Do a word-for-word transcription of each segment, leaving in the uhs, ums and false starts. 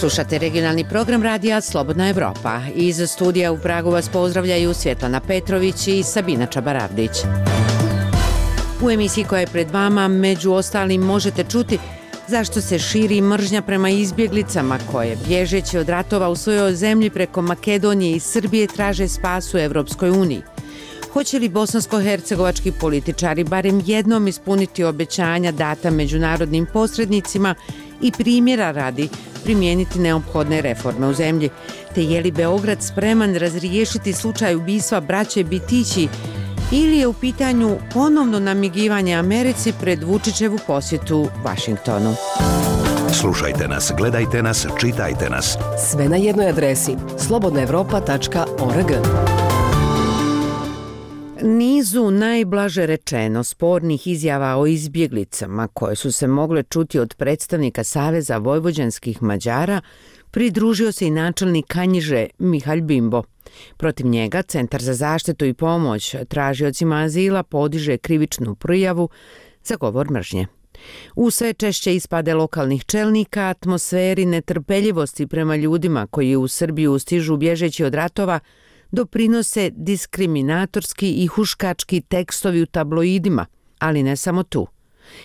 Slušate regionalni program radija Slobodna Evropa. Iz studija u Pragu vas pozdravljaju Svjetlana Petrović i Sabina Čabaravdić. U emisiji koja je pred vama, među ostalim, možete čuti zašto se širi mržnja prema izbjeglicama koje, bježeći od ratova u svojoj zemlji preko Makedonije i Srbije, traže spas u Evropskoj uniji. Hoće li bosansko-hercegovački političari barem jednom ispuniti obećanja data međunarodnim posrednicima i primjera radi primijeniti neophodne reforme u zemlji? Te je li Beograd spreman razriješiti slučaj ubistva braće Bitići ili je u pitanju ponovno namigivanje Americi pred Vučićevu posjetu Vašingtonu? Slušajte nas, gledajte nas, čitajte nas. Sve na jednoj adresi slobodna evropa tačka org. Nizu najblaže rečeno spornih izjava o izbjeglicama koje su se mogle čuti od predstavnika Saveza vojvođanskih Mađara pridružio se i načelnik Kanjiže Mihalj Bimbo. Protiv njega Centar za zaštitu i pomoć tražiocima azila podiže krivičnu prijavu za govor mržnje. U sve češće ispade lokalnih čelnika, atmosferi netrpeljivosti prema ljudima koji u Srbiju stižu bježeći od ratova doprinose diskriminatorski i huškački tekstovi u tabloidima, ali ne samo tu.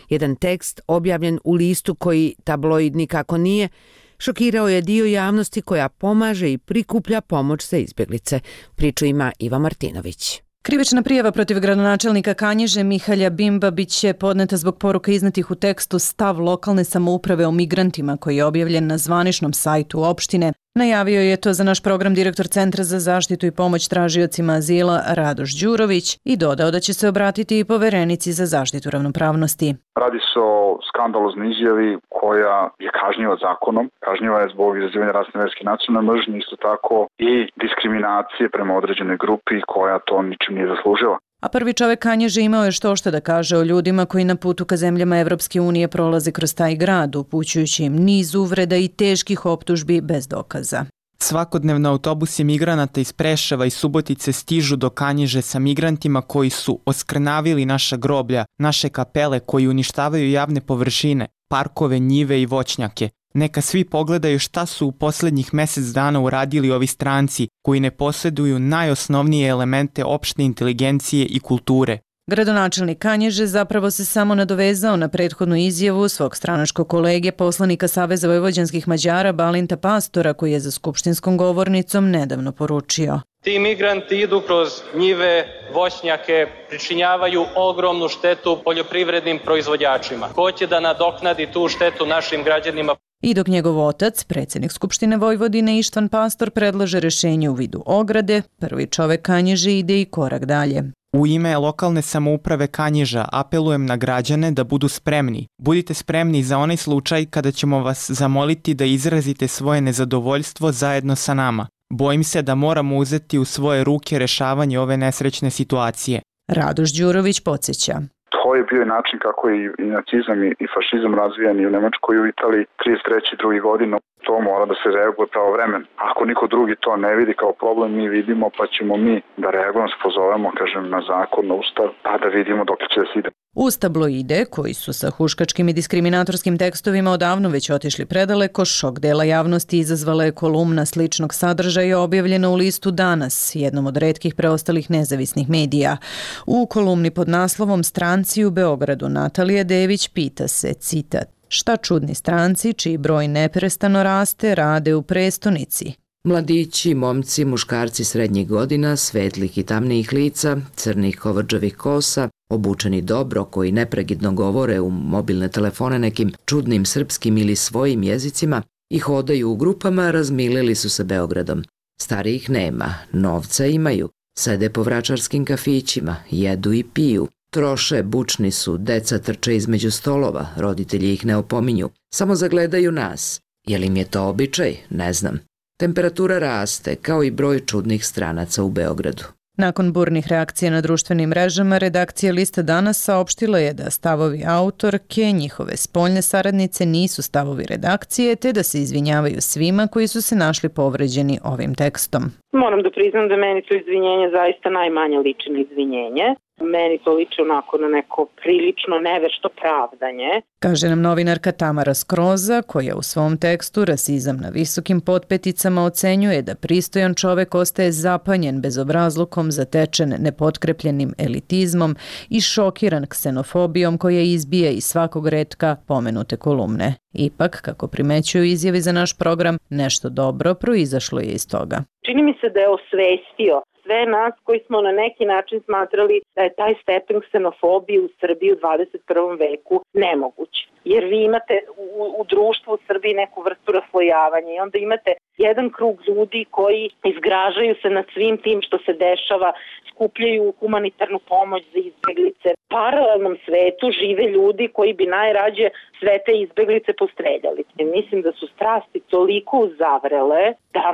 Jedan tekst objavljen u listu koji tabloid nikako nije, šokirao je dio javnosti koja pomaže i prikuplja pomoć za izbjeglice. Priču ima Iva Martinović. Krivična prijava protiv gradonačelnika Kanjiže Mihalja Bimba bit će podneta zbog poruka iznetih u tekstu Stav lokalne samouprave o migrantima koji je objavljen na zvaničnom sajtu opštine. Najavio je to za naš program direktor Centra za zaštitu i pomoć tražiocima azila Radoš Đurović i dodao da će se obratiti i poverenici za zaštitu ravnopravnosti. Radi se o skandaloznoj izjavi koja je kažnjiva zakonom. Kažnjiva je zbog izazivanja rasne, verske i nacionalne mržnje, isto tako i diskriminacije prema određenoj grupi koja to ničim nije zaslužila. A prvi čovek Kanjiže imao je što što da kaže o ljudima koji na putu ka zemljama Evropske unije prolaze kroz taj grad, upućujući im niz uvreda i teških optužbi bez dokaza. Svakodnevno autobusi migranata iz Preševa i Subotice stižu do Kanjiže sa migrantima koji su oskrnavili naša groblja, naše kapele, koji uništavaju javne površine, parkove, njive i voćnjake. Neka svi pogledaju šta su u posljednjih mjesec dana uradili ovi stranci koji ne posjeduju najosnovnije elemente opšte inteligencije i kulture. Gradonačelnik Kanjiže zapravo se samo nadovezao na prethodnu izjavu svog stranačkog kolege, poslanika Saveza vojvođanskih Mađara Balinta Pastora, koji je za skupštinskom govornicom nedavno poručio: Ti migranti idu kroz njive, voćnjake, pričinjavaju ogromnu štetu poljoprivrednim proizvođačima. Ko će da nadoknadi tu štetu našim građanima? I dok njegov otac, predsjednik Skupštine Vojvodine Ištvan Pastor, predlaže rješenje u vidu ograde, prvi čovek Kanjiže ide i korak dalje. U ime lokalne samouprave Kanjiža apelujem na građane da budu spremni. Budite spremni za onaj slučaj kada ćemo vas zamoliti da izrazite svoje nezadovoljstvo zajedno sa nama. Bojim se da moramo uzeti u svoje ruke rješavanje ove nesrećne situacije. Radoš Đurović podsjeća. To je bio i način kako je i nacizam i fašizam razvijan i u Nemačkoj i u Italiji trideset treće i druge godine. To mora da se reaguje pravovremeno. Ako niko drugi to ne vidi kao problem, mi vidimo, pa ćemo mi da reagujemo, se pozovemo, kažem, na zakon, na ustav, pa da vidimo dok će da se ide. Uz tabloide, koji su sa huškačkim i diskriminatorskim tekstovima odavno već otišli predaleko, šok dela javnosti izazvala je kolumna sličnog sadržaja objavljena u listu Danas, jednom od retkih preostalih nezavisnih medija. U kolumni pod naslovom Stranci u Beogradu Natalija Dević pita se, citat, šta čudni stranci, čiji broj neprestano raste, rade u prestonici? Mladići, momci, muškarci srednjih godina, svetlih i tamnijih lica, crnih kovrđavih kosa, obučeni dobro, koji nepregidno govore u mobilne telefone nekim čudnim srpskim ili svojim jezicima i hodaju u grupama, razmilili su se Beogradom. Starijih nema, novca imaju, sede po vračarskim kafićima, jedu i piju. Troše, bučni su, deca trče između stolova, roditelji ih ne opominju, samo zagledaju nas. Je li im je to običaj? Ne znam. Temperatura raste, kao i broj čudnih stranaca u Beogradu. Nakon burnih reakcija na društvenim mrežama, redakcija Lista Danas saopštila je da stavovi autorke, njihove spoljne saradnice, nisu stavovi redakcije, te da se izvinjavaju svima koji su se našli povređeni ovim tekstom. Moram da priznam da meni to izvinjenje zaista najmanje liči na izvinjenje. Meni to liči onako na neko prilično nevešto pravdanje. Kaže nam novinarka Tamara Skroza, koja u svom tekstu Rasizam na visokim potpeticama ocenjuje da pristojan čovek ostaje zapanjen bezobrazlukom, zatečen nepotkrepljenim elitizmom i šokiran ksenofobijom koja izbije iz svakog retka pomenute kolumne. Ipak, kako primećuju izjavi za naš program, nešto dobro proizašlo je iz toga. Čini mi se da je osvestio sve nas koji smo na neki način smatrali da je taj stepen ksenofobije u Srbiji u dvadeset prvom veku nemoguć. Jer vi imate u, u društvu u Srbiji neku vrstu raslojavanja i onda imate jedan krug ljudi koji izgražaju se nad svim tim što se dešava, skupljaju humanitarnu pomoć za izbeglice. U paralelnom svetu žive ljudi koji bi najrađe sve te izbeglice postreljali. I mislim da su strasti toliko uzavrele da,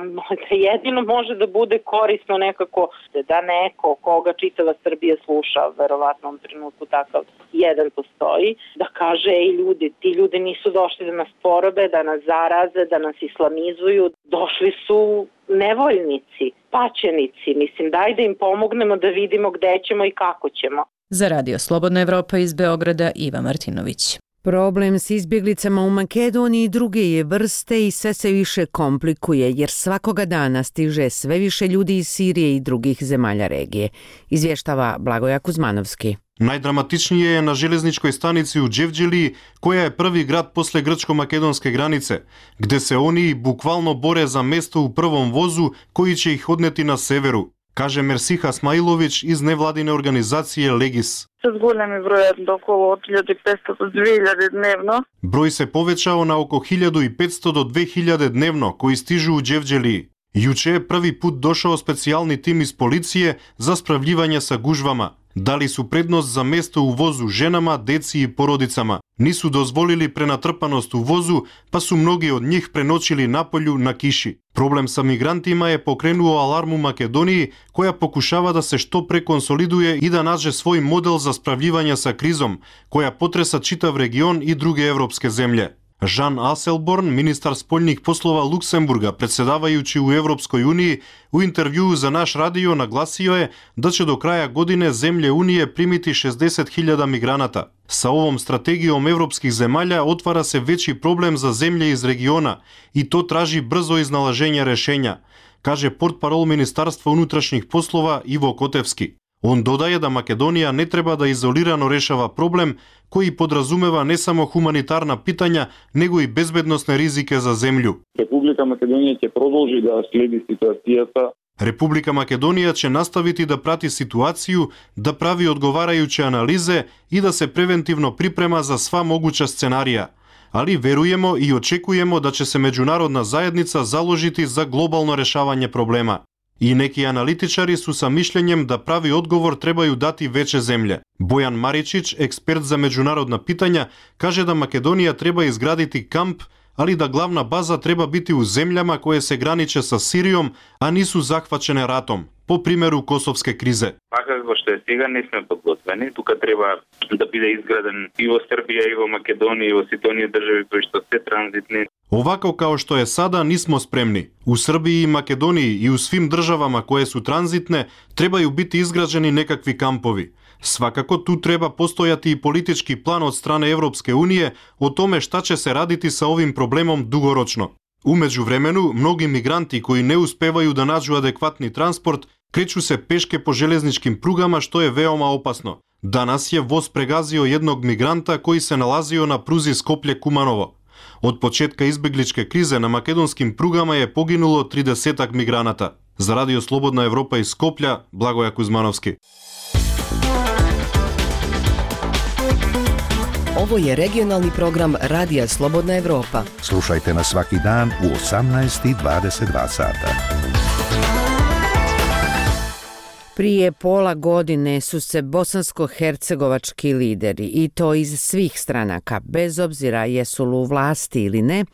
da jedino može da bude korisno nekako da neko koga čitava Srbija sluša, verovatno u trenutku takav jedan postoji, da kaže ej ljudi, ti ljudi nisu došli da nas porobe, da nas zaraze, da nas islamizuju, došli su nevoljnici, paćenici. Mislim, daj da im pomognemo da vidimo gde ćemo i kako ćemo. Za Radio Slobodna Evropa iz Beograda, Iva Martinović. Problem s izbjeglicama u Makedoniji druge je vrste i sve se više komplikuje jer svakoga dana stiže sve više ljudi iz Sirije i drugih zemalja regije. Izvještava Blagoja Kuzmanovski. Najdramatičnije je na železničkoj stanici u Đevđeliji, koja je prvi grad posle grčko-makedonske granice, gde se oni bukvalno bore za mesto u prvom vozu koji će ih odneti na severu, kaže Мерсиха Смаиловиć iz nevladine organizacije Legis. С големи број до околу hiljadu petsto do dve hiljade dnevno. Broj se povećao na oko hiljadu petsto do dve hiljade dnevno koji stižu u Đevđeliji. Juče je prvi put došao specijalni tim iz policije za spravljivanje sa gužvama. Dali su prednost za mesto u vozu ženama, deci i porodicama. Nisu dozvolili prenatrpanost u vozu, pa su mnogi od njih prenoćili napolju na kiši. Problem sa migrantima je pokrenuo alarm u Makedoniji, koja pokušava da se što pre konsoliduje i da nađe svoj model za spravljivanje sa krizom, koja potresa čitav region i druge evropske zemlje. Žan Aselborn, ministar spoljnih poslova Luksemburga, predsedavajući u Evropskoj uniji, u intervjuu za naš radio naglasio je da će do kraja godine zemlje Unije primiti šezdeset hiljada migranata. Sa ovom strategijom evropskih zemalja otvara se veći problem za zemlje iz regiona i to traži brzo iznalaženje rešenja, kaže portparol Ministarstva unutrašnjih poslova Ivo Kotevski. On dodaje da Makedonija ne treba da izolirano rešava problem koji podrazumeva ne samo humanitarna pitanja, nego i bezbednosne rizike za zemlju. Republika Makedonija će продолжи da sledi situacijata. Republika Makedonija će nastaviti da prati situaciju, da pravi odgovarajuće analize i da se preventivno priprema za sva moguća scenarija. Ali verujemo i očekujemo da će se međunarodna zajednica založiti za globalno rešavanje problema. I neki analitičari su sa mišljenjem da pravi odgovor trebaju dati veće zemlje. Bojan Maričić, ekspert za međunarodna pitanja, kaže da Makedonija treba izgraditi kamp, ali da glavna baza treba biti u zemljama koje se graniče sa Sirijom, a nisu zahvaćene ratom, po primjeru kosovske krize. Kako što je stiga, nismo podgotveni. Тука treba da bude izgraden i u Srbiji, i u Makedoniji, i u Sidoniji državi koji što sve tranzitni. Ovako kao što je sada nismo spremni. U Srbiji i Makedoniji i u svim državama koje su tranzitne trebaju biti izgrađeni nekakvi kampovi. Svakako tu treba postojati i politički plan od strane Evropske unije o tome šta će se raditi sa ovim problemom dugoročno. U međuvremenu, mnogi migranti koji ne uspevaju da nađu adekvatni transport kreću se peške po železničkim prugama, što je veoma opasno. Danas je voz pregazio jednog migranta koji se nalazio na pruzi Skoplje-Kumanovo. Od početka izbegličke krize na makedonskim prugama je poginulo tridesetak migranata. Za Radio Slobodna Evropa iz Skoplja, Blagoja Kuzmanovski. Ovo je regionalni program Radija Slobodna Evropa. Slušajte nas svaki dan u osamnaest i dvadeset dva sata. Prije pola godine su se bosansko-hercegovački lideri, i to iz svih stranaka, bez obzira jesu li u vlasti ili ne,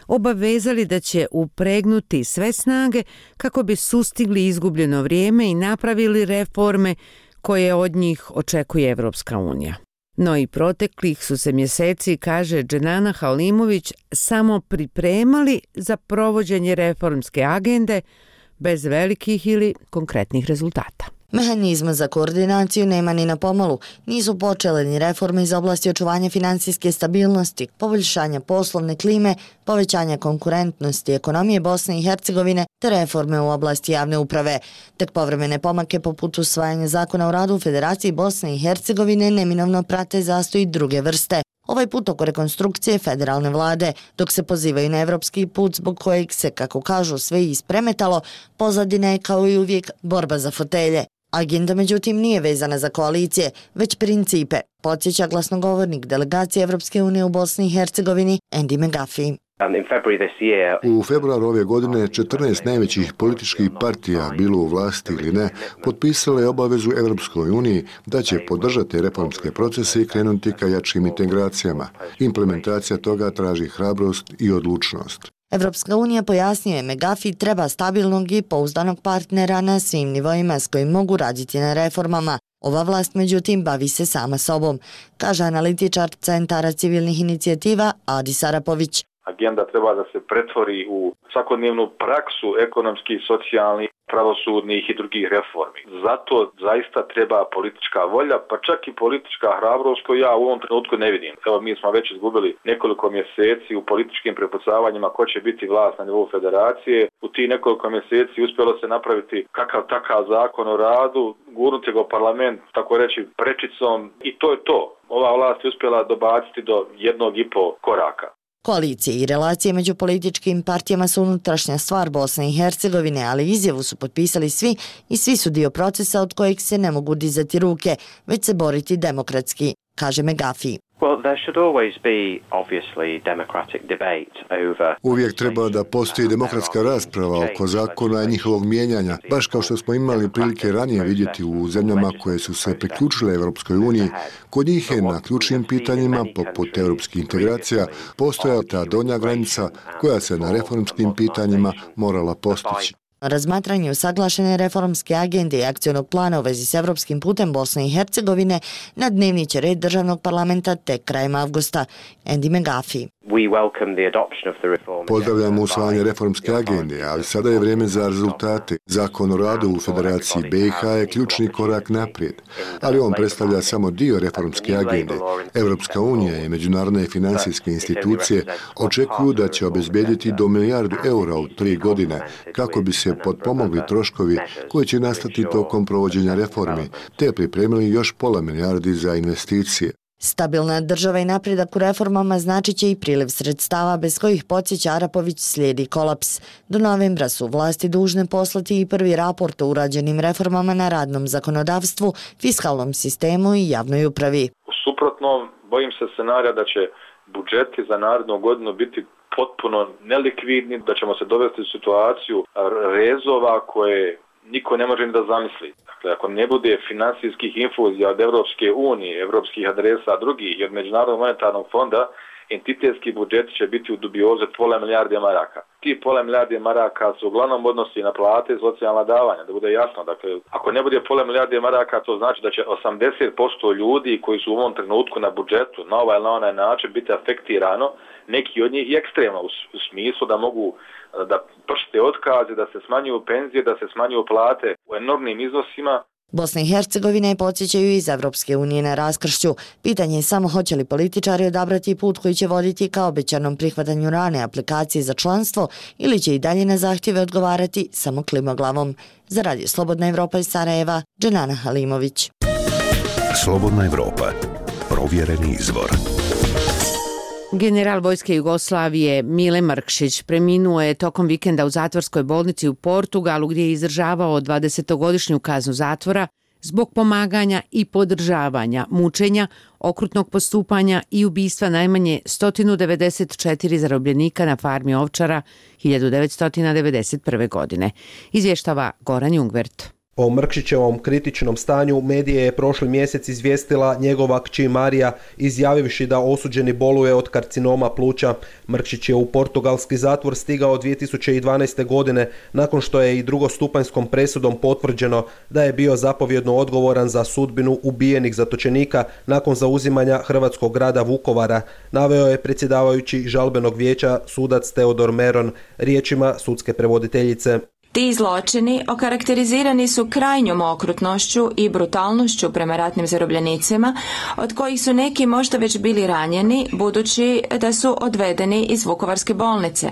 obavezali da će upregnuti sve snage kako bi sustigli izgubljeno vrijeme i napravili reforme koje od njih očekuje Evropska unija. No i proteklih su se mjeseci, kaže Dženana Halimović, samo pripremali za provođenje reformske agende bez velikih ili konkretnih rezultata. Mehanizma za koordinaciju nema ni na pomolu, nisu počele ni reforme iz oblasti očuvanja finansijske stabilnosti, poboljšanja poslovne klime, povećanja konkurentnosti ekonomije Bosne i Hercegovine te reforme u oblasti javne uprave. Tek povremene pomake poput usvajanja zakona o radu u Federaciji Bosne i Hercegovine neminovno prate zastoj druge vrste. Ovaj put oko rekonstrukcije federalne vlade, dok se pozivaju na evropski put zbog kojeg se, kako kažu, sve ispremetalo, pozadina je kao i uvijek borba za fotelje. Agenda, međutim, nije vezana za koalicije, već principe, podsjeća glasnogovornik delegacije Evropske unije u Bosni i Hercegovini Andy McGuffey. U februaru ove godine četrnaest najvećih političkih partija, bilo u vlasti ili ne, potpisale je obavezu Evropskoj uniji da će podržati reformske procese i krenuti ka jačim integracijama. Implementacija toga traži hrabrost i odlučnost. Evropska unija, pojasnio je McGuffey, treba stabilnog i pouzdanog partnera na svim nivoima s kojim mogu raditi na reformama. Ova vlast, međutim, bavi se sama sobom, kaže analitičar Centara civilnih inicijativa Adis Arapović. Agenda treba da se pretvori u svakodnevnu praksu ekonomskih, socijalnih, pravosudnih i drugih reformi. Zato zaista treba politička volja, pa čak i politička hrabrost koju ja u ovom trenutku ne vidim. Evo, mi smo već izgubili nekoliko mjeseci u političkim prepucavanjima ko će biti vlast na nivou federacije. U tih nekoliko mjeseci uspjelo se napraviti kakav takav zakon o radu, gurnuti ga u parlament, tako reći, prečicom i to je to. Ova vlast je uspjela dobaciti do jednog i po koraka. Koalicije i relacije među političkim partijama su unutrašnja stvar Bosne i Hercegovine, ali izjavu su potpisali svi i svi su dio procesa od kojeg se ne mogu dizati ruke, već se boriti demokratski, kaže McGuffey. Uvijek treba da postoji demokratska rasprava oko zakona i njihovog mijenjanja, baš kao što smo imali prilike ranije vidjeti u zemljama koje su se priključile Evropskoj uniji. Kod njih je na ključnim pitanjima, poput evropskih integracija, postojala ta donja granica koja se na reformskim pitanjima morala postići. Razmatranje usaglašene reformske agende i akcionog plana u vezi s evropskim putem Bosne i Hercegovine na dnevni će red državnog parlamenta tek krajem avgusta. Andy McGuffey. Pozdravljamo usvajanje reformske agende, ali sada je vrijeme za rezultate. Zakon o radu u Federaciji B i H je ključni korak naprijed, ali on predstavlja samo dio reformske agende. Evropska unija i međunarodne financijske institucije očekuju da će obezbijediti do milijardu eura u tri godine kako bi se potpomogli troškovi koji će nastati tokom provođenja reformi, te pripremili još pola milijardi za investicije. Stabilna država i napredak u reformama značit će i priliv sredstava bez kojih, podsjeća Arapović, slijedi kolaps. Do novembra su vlasti dužne poslati i prvi raport o urađenim reformama na radnom zakonodavstvu, fiskalnom sistemu i javnoj upravi. U suprotnom, bojim se scenarija da će budžeti za narednu godinu biti potpuno nelikvidni, da ćemo se dovesti u situaciju rezova koje niko ne može ni da zamisli. Dakle, ako ne bude finansijskih infuzija od Evropske unije, evropskih adresa, drugih i od Međunarodnog monetarnog fonda, entitetski budžet će biti u dubioze pola milijarde maraka. Ti pola milijarde maraka se uglavnom odnosi na plate i socijalna davanja, da bude jasno. Dakle, ako ne bude pola milijarde maraka, to znači da će osamdeset posto ljudi koji su u ovom trenutku na budžetu na ovaj ili na onaj način biti afektirano, neki od njih i ekstremno u smislu da mogu da pršte otkaze, da se smanjuju penzije, da se smanjuju plate u enormnim iznosima. Bosna i Hercegovina je, podsjećaju iz Evropske unije, na raskršću. Pitanje je samo hoće li političari odabrati put koji će voditi ka obećanom prihvatanju rane aplikacije za članstvo ili će i dalje na zahtjeve odgovarati samo klimoglavom. Za Radio Slobodna Evropa iz Sarajeva, Dženana Halimović. Slobodna Evropa. Provjereni izvor. General vojske Jugoslavije Mile Mrkšić preminuo je tokom vikenda u zatvorskoj bolnici u Portugalu gdje je izdržavao dvadesetogodišnju kaznu zatvora zbog pomaganja i podržavanja mučenja, okrutnog postupanja i ubistva najmanje sto devedeset četiri zarobljenika na farmi ovčara hiljadu devetsto devedeset prve. godine. Izvještava Goran Jungvert. O Mrkšićevom kritičnom stanju medije je prošli mjesec izvijestila njegova kći Marija, izjavivši da osuđeni boluje od karcinoma pluća. Mrkšić je u portugalski zatvor stigao dvije tisuće dvanaeste. godine nakon što je i drugostupanjskom presudom potvrđeno da je bio zapovjedno odgovoran za sudbinu ubijenih zatočenika nakon zauzimanja hrvatskog grada Vukovara, naveo je predsjedavajući žalbenog vijeća sudac Teodor Meron riječima sudske prevoditeljice. Ti zločini okarakterizirani su krajnjom okrutnošću i brutalnošću prema ratnim zarobljenicima, od kojih su neki možda već bili ranjeni, budući da su odvedeni iz Vukovarske bolnice.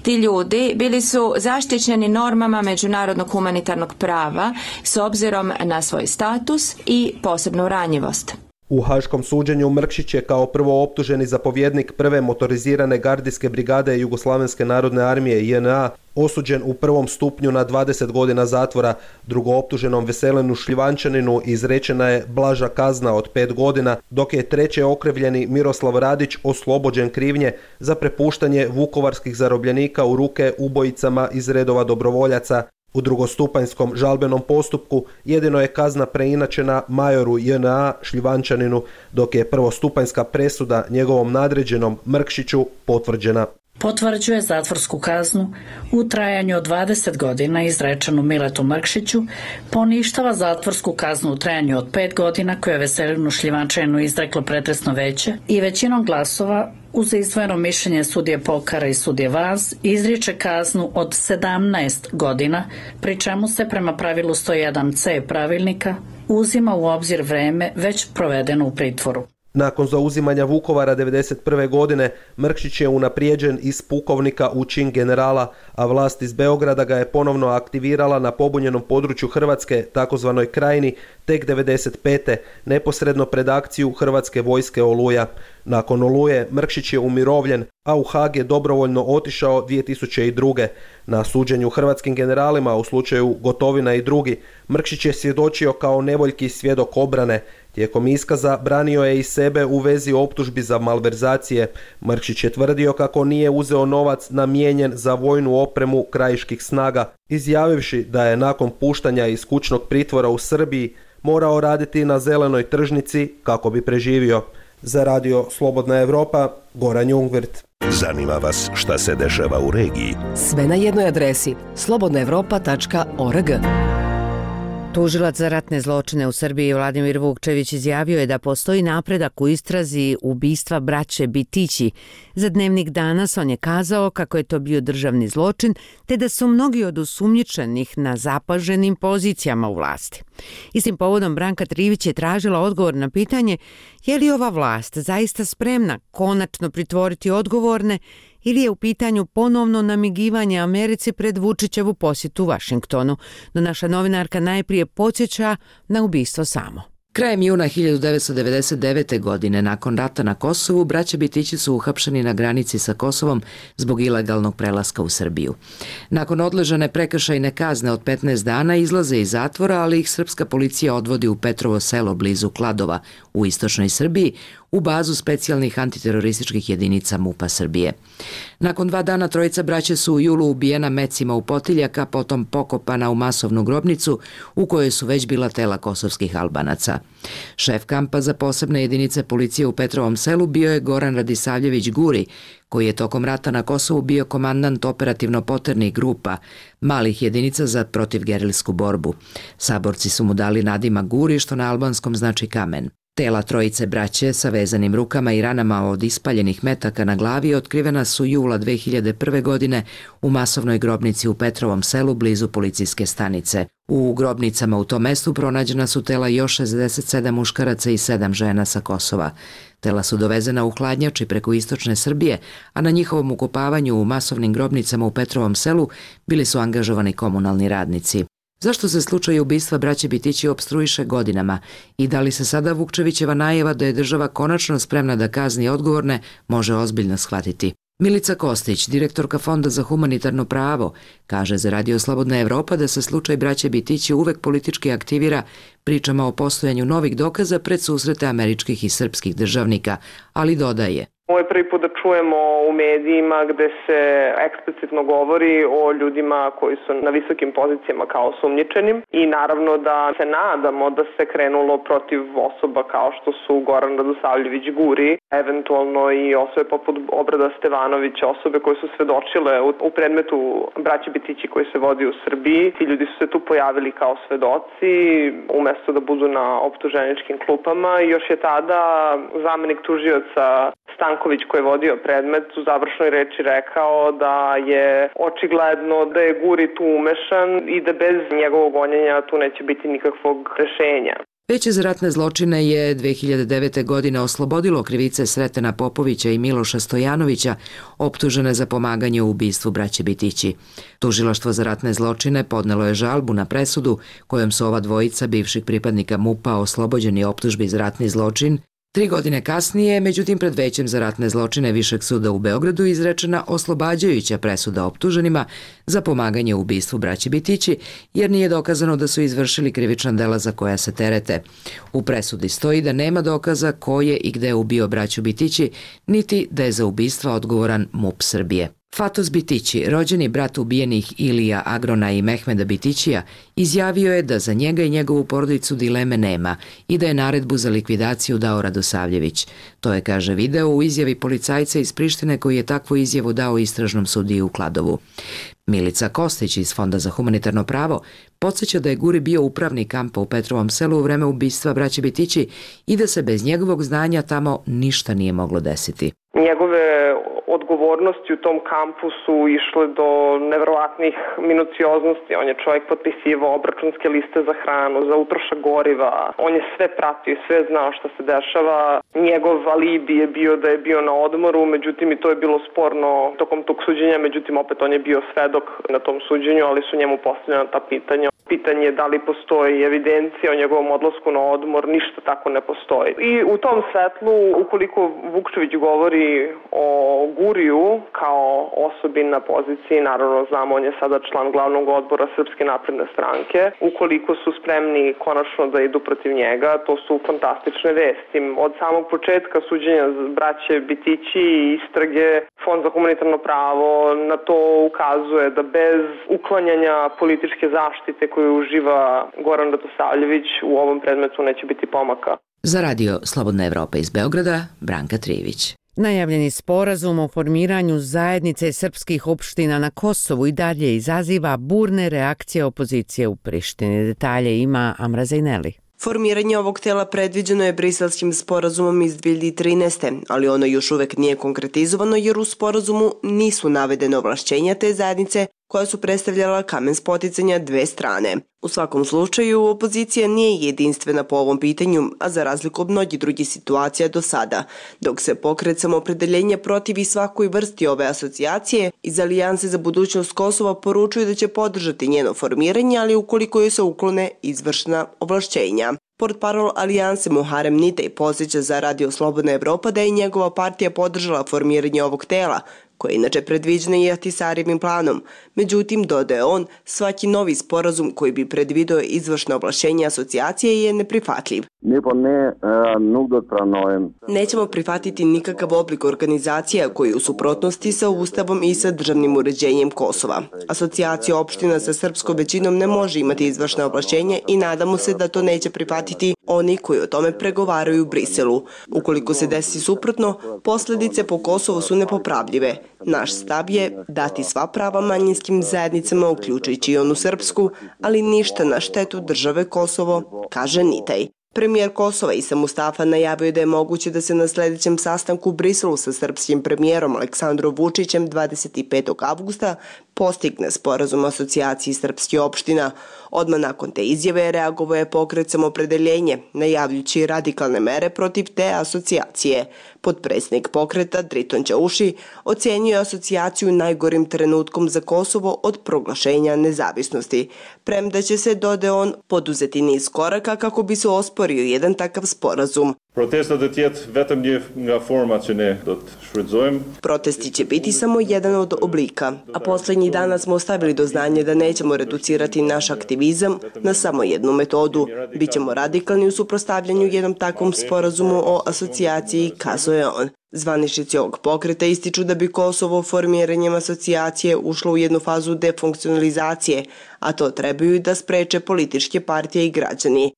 Ti ljudi bili su zaštićeni normama međunarodnog humanitarnog prava s obzirom na svoj status i posebnu ranjivost. U haškom suđenju Mrkšić je kao prvo optuženi zapovjednik prve motorizirane gardijske brigade Jugoslavenske narodne armije J N A osuđen u prvom stupnju na dvadeset godina zatvora. Drugo optuženom Veselinu Šljivančaninu izrečena je blaža kazna od pet godina, dok je treće okrivljeni Miroslav Radić oslobođen krivnje za prepuštanje vukovarskih zarobljenika u ruke ubojicama iz redova dobrovoljaca. U drugostupanjskom žalbenom postupku jedino je kazna preinačena majoru J N A Šljivančaninu, dok je prvostupanjska presuda njegovom nadređenom Mrkšiću potvrđena. Potvrđuje zatvorsku kaznu u trajanju od dvadeset godina izrečenu Miletu Mrkšiću, poništava zatvorsku kaznu u trajanju od pet godina koju je Veselinu Šljivančaninu izreklo pretresno veće i većinom glasova uz izdvojeno mišljenje sudije Pokara i sudije Vaz izriče kaznu od sedamnaest godina, pri čemu se prema pravilu sto jedan C pravilnika uzima u obzir vreme već provedeno u pritvoru. Nakon zauzimanja Vukovara devedeset prve godine Mrkšić je unaprijeđen iz pukovnika u čin generala, a vlast iz Beograda ga je ponovno aktivirala na pobunjenom području Hrvatske, takozvanoj Krajini, tek devedeset pete neposredno pred akciju Hrvatske vojske Oluja. Nakon Oluje Mrkšić je umirovljen, a u Haag je dobrovoljno otišao dvije tisuće druge. Na suđenju hrvatskim generalima u slučaju Gotovina i drugi, Mrkšić je svjedočio kao nevoljki svjedok obrane. Tijekom iskaza branio je i sebe u vezi optužbi za malverzacije. Mrkšić je tvrdio kako nije uzeo novac namijenjen za vojnu opremu krajiških snaga, izjavivši da je nakon puštanja iz kućnog pritvora u Srbiji morao raditi na zelenoj tržnici kako bi preživio. Za radio Slobodna Evropa, Goran Jungwirth. Zanima vas šta se dešava u regiji? Sve na jednoj adresi slobodna evropa tačka org. Tužilac za ratne zločine u Srbiji Vladimir Vukčević izjavio je da postoji napredak u istrazi ubistva braće Bitići. Za Dnevnik Danas on je kazao kako je to bio državni zločin, te da su mnogi od osumnjičenih na zapaženim pozicijama u vlasti. Istim povodom Branka Trivić je tražila odgovor na pitanje je li ova vlast zaista spremna konačno pritvoriti odgovorne ili je u pitanju ponovno namigivanje Americi pred Vučićevu posjetu Vašingtonu. No naša novinarka najprije podsjeća na ubistvo samo. Krajem juna hiljadu devetsto devedeset devete. godine, nakon rata na Kosovu, braća Bitići su uhapšeni na granici sa Kosovom zbog ilegalnog prelaska u Srbiju. Nakon odležane prekršajne kazne od petnaest dana izlaze iz zatvora, ali ih srpska policija odvodi u Petrovo selo blizu Kladova u istočnoj Srbiji, u bazu specijalnih antiterorističkih jedinica MUP-a Srbije. Nakon dva dana trojica braće su u julu ubijena mecima u potiljak, a potom pokopana u masovnu grobnicu u kojoj su već bila tela kosovskih Albanaca. Šef kampa za posebne jedinice policije u Petrovom selu bio je Goran Radisavljević Guri, koji je tokom rata na Kosovu bio komandant operativno-poternih grupa, malih jedinica za protivgerilsku borbu. Saborci su mu dali nadimak Guri, što na albanskom znači kamen. Tela trojice braće sa vezanim rukama i ranama od ispaljenih metaka na glavi otkrivena su jula dve hiljade prve. godine u masovnoj grobnici u Petrovom selu blizu policijske stanice. U grobnicama u tom mestu pronađena su tela još šezdeset sedam muškaraca i sedam žena sa Kosova. Tela su dovezena u hladnjači preko istočne Srbije, a na njihovom ukopavanju u masovnim grobnicama u Petrovom selu bili su angažovani komunalni radnici. Zašto se slučaj ubistva braće Bitići opstruiše godinama i da li se sada Vukčevićeva najava da je država konačno spremna da kazni odgovorne može ozbiljno shvatiti? Milica Kostić, direktorka Fonda za humanitarno pravo, kaže za radio Slobodna Evropa da se slučaj braće Bitići uvek politički aktivira pričama o postojanju novih dokaza pred susrete američkih i srpskih državnika, ali dodaje: Ovo je prvi put da čujemo u medijima gde se eksplicitno govori o ljudima koji su na visokim pozicijama kao osumnjičenim i naravno da se nadamo da se krenulo protiv osoba kao što su Goran Radosavljević Guri, eventualno i osobe poput Obrada Stevanovića, osobe koje su svedočile u, u predmetu braće Bitići koji se vodi u Srbiji. Ti ljudi su se tu pojavili kao svedoci umesto da budu na optuženičkim klupama i još je tada zamenik tužioca Stanković koji je vodio predmet u završnoj reči rekao da je očigledno da je Guri tu umešan i da bez njegovog gonjenja tu neće biti nikakvog rešenja. Veće za ratne zločine je dve hiljade devete. godine oslobodilo krivice Sretena Popovića i Miloša Stojanovića, optužene za pomaganje u ubistvu braće Bitići. Tužilaštvo za ratne zločine podnelo je žalbu na presudu kojom su ova dvojica bivših pripadnika MUP-a oslobođeni optužbi za ratni zločin. Tri godine kasnije, međutim pred Većem za ratne zločine Višeg suda u Beogradu izrečena oslobađajuća presuda optuženima za pomaganje u ubistvu braće Bitići, jer nije dokazano da su izvršili krivična dela za koja se terete. U presudi stoji da nema dokaza ko je i gde ubio braću Bitići, niti da je za ubistva odgovoran MUP Srbije. Fatos Bitići, rođeni brat ubijenih Ilija Agrona i Mehmeda Bitićija, izjavio je da za njega i njegovu porodicu dileme nema i da je naredbu za likvidaciju dao Radosavljević. To je, kaže video, u izjavi policajca iz Prištine koji je takvu izjavu dao istražnom sudiji u Kladovu. Milica Kostić iz Fonda za humanitarno pravo podsjeća da je Guri bio upravnik kampa u Petrovom selu u vreme ubistva braće Bitići i da se bez njegovog znanja tamo ništa nije moglo desiti. Njegove odgovornosti u tom kampu su išle do neverovatnih minucioznosti. On je čovjek potpisivao obračunske liste za hranu, za utrošak goriva. On je sve pratio, sve znao šta se dešava. Njegov alibi je bio da je bio na odmoru, međutim i to je bilo sporno tokom tog suđenja, međutim opet on je bio svedok na tom suđenju, ali su njemu postavljena ta pitanja. Pitanje je da li postoji evidencija o njegovom odlasku na odmor, ništa tako ne postoji. I u tom svetlu, ukoliko Vukčević govori o Guriju kao osobi na poziciji, naravno znamo, on je sada član glavnog odbora Srpske napredne stranke, ukoliko su spremni konačno da idu protiv njega, to su fantastične vesti. Od samog početka suđenja braće Bitići i istrage, Fond za humanitarno pravo na to ukazuje da bez uklanjanja političke zaštite koju uživa Goran Radosavljević u ovom predmetu neće biti pomaka. Za radio Slobodna Evropa iz Beograda, Branka Trijević. Najavljeni sporazum o formiranju zajednice srpskih opština na Kosovu i dalje izaziva burne reakcije opozicije u Prištini. Detalje ima Amra Zajneli. Formiranje ovog tela predviđeno je Briselskim sporazumom iz dve hiljade trinaeste. ali ono još uvek nije konkretizovano jer u sporazumu nisu navedene ovlašćenja te zajednice koja su predstavljala kamen spoticanja dve strane. U svakom slučaju, opozicija nije jedinstvena po ovom pitanju, a za razliku od mnogih drugih situacija do sada. Dok se pokret Samoopredeljenja protivi svakoj vrsti ove asocijacije, iz Alijanse za budućnost Kosova poručuju da će podržati njeno formiranje, ali ukoliko joj se uklone izvršna ovlašćenja. Portparol Alijanse Muharem Nitej podsjeća za radio Slobodna Evropa da je njegova partija podržala formiranje ovog tela, koje je inače predviđeno i Ahtisarivim planom. Međutim, dodaje on, svaki novi sporazum koji bi predvideo izvršno ovlašćenje asocijacije je neprihvatljiv. Nećemo prihvatiti nikakav oblik organizacija koji je u suprotnosti sa Ustavom i sa državnim uređenjem Kosova. Asocijacija opština sa srpskom većinom ne može imati izvršno ovlašćenje i nadamo se da to neće prihvatiti oni koji o tome pregovaraju u Briselu. Ukoliko se desi suprotno, posljedice po Kosovo su nepopravljive. Naš stav je dati sva prava manjinskim zajednicama, uključujući i onu srpsku, ali ništa na štetu države Kosovo, kaže Nitej. Premijer Kosova Isa Mustafa najavio da je moguće da se na sljedećem sastanku u Briselu sa srpskim premijerom Aleksandrom Vučićem dvadeset petog avgusta postigne sporazum o asocijaciji srpskih opština. Odmah nakon te izjave reagovao je pokret Samoopredeljenje, najavljujući radikalne mere protiv te asocijacije. Potpredsjednik pokreta Driton Ćauši ocenio asocijaciju najgorim trenutkom za Kosovo od proglašenja nezavisnosti. Premda će se, dodaje on, poduzeti niz koraka kako bi se osporio jedan takav sporazum. Protesta do tjetë vetëm një nga forma që ne do të shfrytëzojmë. Protesti će biti samo jedan od oblika, a posljednjih dana smo ostavili do znanja da nećemo reducirati naš aktivizam na samo jednu metodu. Bićemo radikalni u suprotstavljanju jednom takvom sporazumu o asocijaciji, kazuje on. Zvaničnici ovog pokreta ističu da bi Kosovo formiranjem asocijacije ušlo u jednu fazu defunkcionalizacije, a to trebaju da spreče političke partije i građani.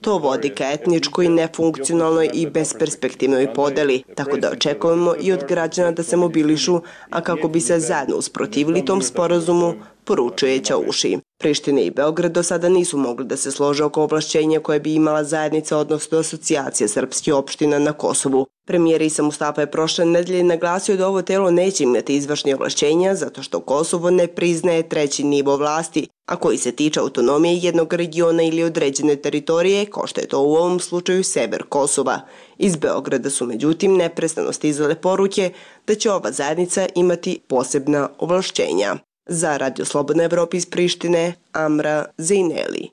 To vodi ka etničkoj, nefunkcionalnoj i besperspektivnoj podeli, tako da očekujemo i od građana da se mobilišu, a kako bi se zajedno usprotivili tom sporazumu, poručuje Ćauši. Priština i Beograd do sada nisu mogli da se slože oko ovlašćenja koje bi imala zajednica, odnosno asocijacija srpskih opština na Kosovu. Premijer Isa Mustafa je prošle nedelje naglasio da ovo telo neće imati izvršne ovlašćenja zato što Kosovo ne priznaje treći nivo vlasti, a koji se tiče autonomije jednog regiona ili određene teritorije, kao što je to u ovom slučaju sever Kosova. Iz Beograda su međutim neprestano stizale poruke da će ova zajednica imati posebna ovlašćenja. Za Radio Slobodna Evropa iz Prištine, Amra Zejneli.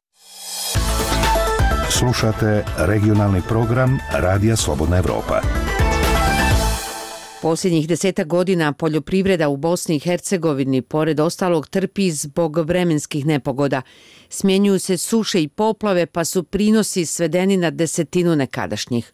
Slušate regionalni program Radija Slobodna Evropa. Posljednjih desetak godina poljoprivreda u Bosni i Hercegovini pored ostalog trpi zbog vremenskih nepogoda. Smjenjuju se suše i poplave pa su prinosi svedeni na desetinu nekadašnjih.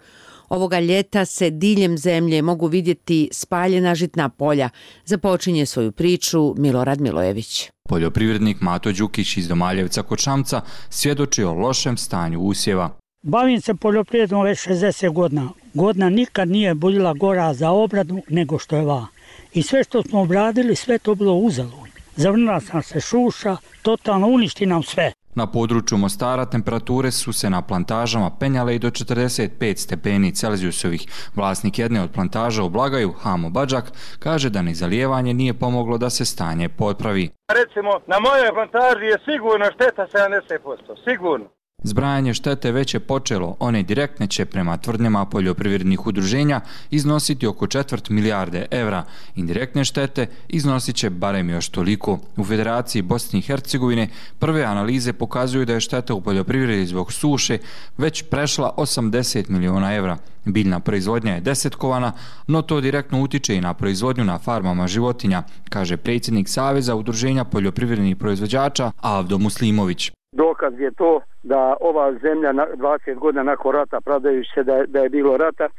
Ovoga ljeta se diljem zemlje mogu vidjeti spaljena žitna polja. Započinje svoju priču Milorad Milojević. Poljoprivrednik Mato Đukić iz Domaljevca kod Šamca svjedoči o lošem stanju usjeva. Bavim se poljoprivredom već šezdeset godina. Godina nikad nije bila gora za obradu nego što je ova. I sve što smo obradili, sve to bilo uzalud. Zavrnila sam se šuša, totalno uništi nam sve. Na području Mostara temperature su se na plantažama penjale i do četrdeset pet stepeni Celzijusovih. Vlasnik jedne od plantaža u Blagaju, Hamo Badžak, kaže da ni zalijevanje nije pomoglo da se stanje popravi. Recimo, na mojoj plantaži je sigurno šteta sedamdeset posto, sigurno. Zbrajanje štete već je počelo, one direktne će prema tvrdnjama poljoprivrednih udruženja iznositi oko četvrt milijarde evra. Indirektne štete iznosit će barem još toliko. U Federaciji Bosne i Hercegovine prve analize pokazuju da je šteta u poljoprivredi zbog suše već prešla osamdeset miliona evra. Biljna proizvodnja je desetkovana, no to direktno utiče i na proizvodnju na farmama životinja, kaže predsjednik Saveza udruženja poljoprivrednih proizvođača Avdo Muslimović. Dokaz je to da ova zemlja dvadeset godina nakon rata, pravdajući se da je, da je bilo rata e,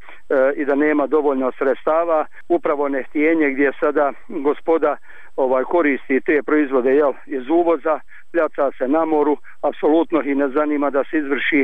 i da nema dovoljno sredstava, upravo nehtijenje gdje sada gospoda ovaj koristi te proizvode jel, iz uvoza, pljaca se na moru, apsolutno ih ne zanima da se izvrši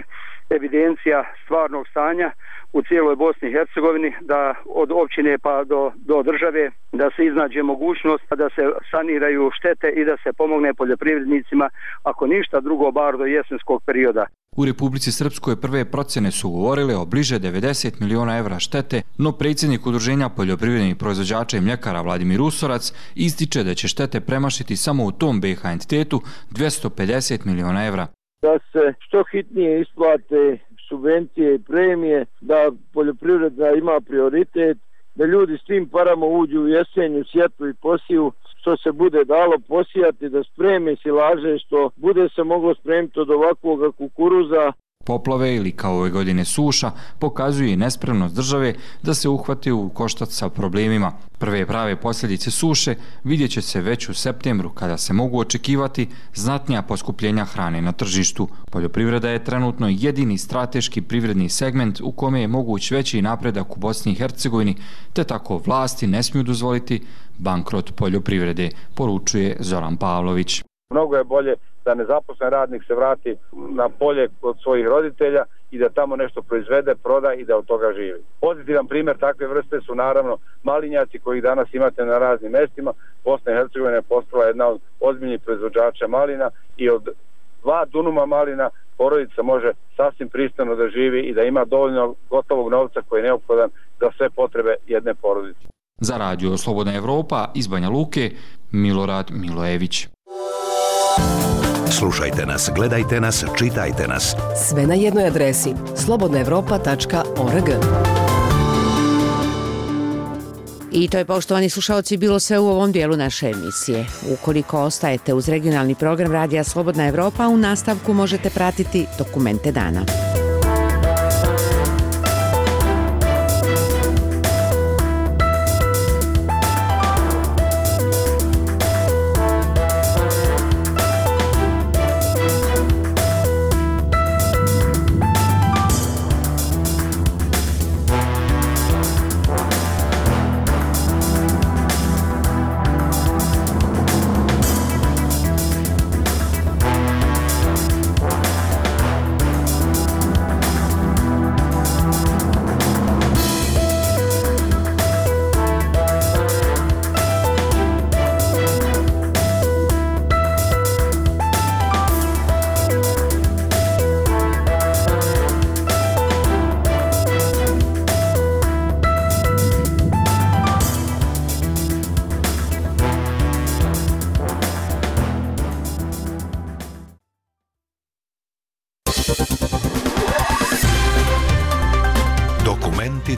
evidencija stvarnog stanja u cijeloj Bosni i Hercegovini, da od općine pa do, do države, da se iznađe mogućnost da se saniraju štete i da se pomogne poljoprivrednicima, ako ništa drugo, bar do jesenskog perioda. U Republici Srpskoj prve procjene su govorile o bliže devedeset miliona evra štete, no predsjednik udruženja poljoprivrednih proizvođača i mljekara Vladimir Usorac ističe da će štete premašiti samo u tom B H entitetu dvjesto pedeset miliona evra. Da se što hitnije isplate subvencije i premije, da poljoprivreda ima prioritet, da ljudi s tim parama uđu u jesenju, sjetvu i posiju, što se bude dalo posijati, da spreme silaže, što bude se moglo spremiti od ovakvog kukuruza. Poplave ili kao ove godine suša pokazuju i nespremnost države da se uhvati u koštac sa problemima. Prve prave posljedice suše vidjet će se već u septembru kada se mogu očekivati znatnija poskupljenja hrane na tržištu. Poljoprivreda je trenutno jedini strateški privredni segment u kome je moguć veći napredak u Bosni i Hercegovini, te tako vlasti ne smiju dozvoliti bankrot poljoprivrede, poručuje Zoran Pavlović. Mnogo je bolje da nezaposlen radnik se vrati na polje kod svojih roditelja i da tamo nešto proizvede, proda i da od toga živi. Pozitivan primjer takve vrste su naravno malinjaci koji danas imate na raznim mestima. Bosna i Hercegovina je postala jedna od ozbiljnih proizvođača malina i od dva dunuma malina porodica može sasvim pristojno da živi i da ima dovoljno gotovog novca koji je neophodan za sve potrebe jedne porodice. Za Radio Slobodna Evropa iz Banja Luke, Milorad Milojević. Slušajte nas, gledajte nas, čitajte nas. Sve na jednoj adresi slobodna evropa tačka org. I to je, poštovani slušalci, bilo sve u ovom dijelu naše emisije. Ukoliko ostajete uz regionalni program Radija Slobodna Evropa, u nastavku možete pratiti Dokumente dana.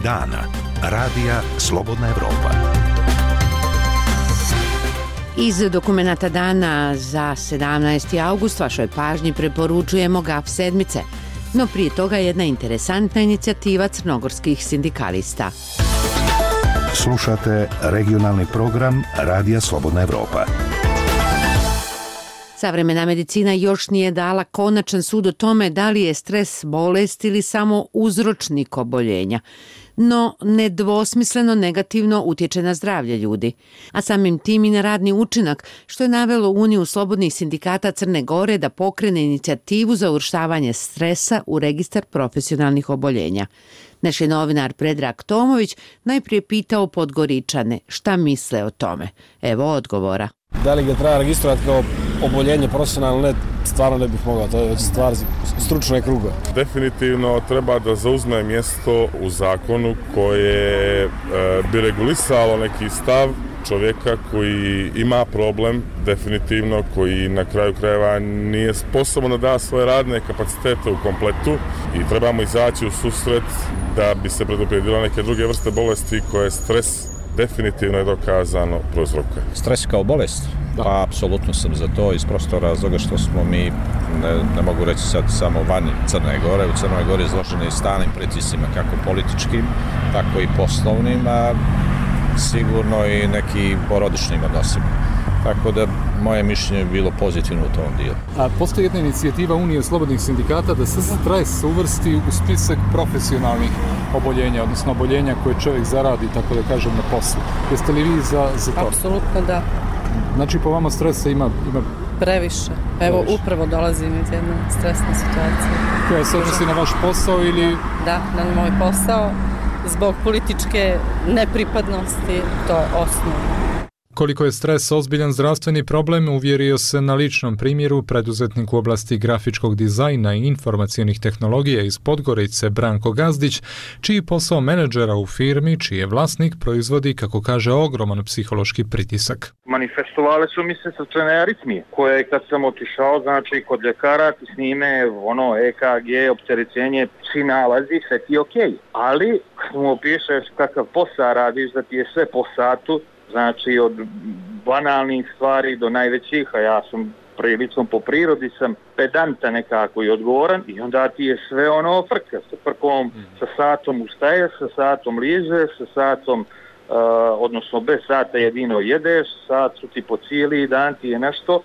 dana. Radija Slobodna Evropa. Iz dokumenata dana za sedamnaesti august vašoj pažnji preporučujemo G A F sedmice, no prije toga jedna interesantna inicijativa crnogorskih sindikalista. Slušate regionalni program Radija Slobodna Evropa. Savremena medicina još nije dala konačan sud o tome da li je stres bolest ili samo uzročnik oboljenja, no nedvosmisleno negativno utječe na zdravlje ljudi, a samim tim i na radni učinak, što je navelo Uniju slobodnih sindikata Crne Gore da pokrene inicijativu za uvrštavanje stresa u registar profesionalnih oboljenja. Naš je novinar Predrag Tomović najprije pitao Podgoričane šta misle o tome. Evo odgovora. Da li ga treba registrovati kao oboljenje profesionalno, ne, stvarno ne bih mogao, to je već stvar stručne kruga. Definitivno treba da zauzme mjesto u zakonu koje e, bi regulisalo neki stav čovjeka koji ima problem, definitivno, koji na kraju krajeva nije sposoban da da svoje radne kapacitete u kompletu i trebamo izaći u susret da bi se predupredilo neke druge vrste bolesti koje stres definitivno je dokazano prouzrokuje. Stres kao bolest? Da. Pa, apsolutno sam za to iz prostog razloga što smo mi, ne, ne mogu reći sad samo van Crne Gore, u Crnoj Gori izloženi stalnim pritiscima, kako političkim, tako i poslovnim, a sigurno i neki porodičnim odnosima. Tako da moje mišljenje je bilo pozitivno u tom dijelu. A postoji jedna inicijativa Unije slobodnih sindikata da se stres uvrsti u spisak profesionalnih oboljenja, odnosno oboljenja koje čovjek zaradi, tako da kažem, na poslu. Jeste li vi za, za to? Apsolutno da. Znači po vama stresa ima... ima... Previše. Evo Previše. Upravo dolazim iz jedne stresne situacije. Koja se odnosi na vaš posao ili... Da, na moj posao. Zbog političke nepripadnosti, to je osnovno. Koliko je stres ozbiljan zdravstveni problem, uvjerio se na ličnom primjeru preduzetnik u oblasti grafičkog dizajna i informacionih tehnologija iz Podgorice Branko Gazdić, čiji posao menadžera u firmi, čiji je vlasnik, proizvodi, kako kaže, ogroman psihološki pritisak. Manifestovale su mi se srčane aritmije, koje kad sam otišao, znači kod ljekara ti snime ono E K G, opterećenje, svi nalazi, sve ti je okej. Okay. Ali kad mu opišeš kakav posao radiš, da ti je sve po satu, znači od banalnih stvari do najvećih, a ja sam prilično po prirodi sam pedanta nekako i odgovoran i onda ti je sve ono frka, sa frkom, mm. sa satom ustaješ, sa satom ližeš, sa satom, uh, odnosno bez sata jedino jedeš, sat su ti po cijeli dan ti je nešto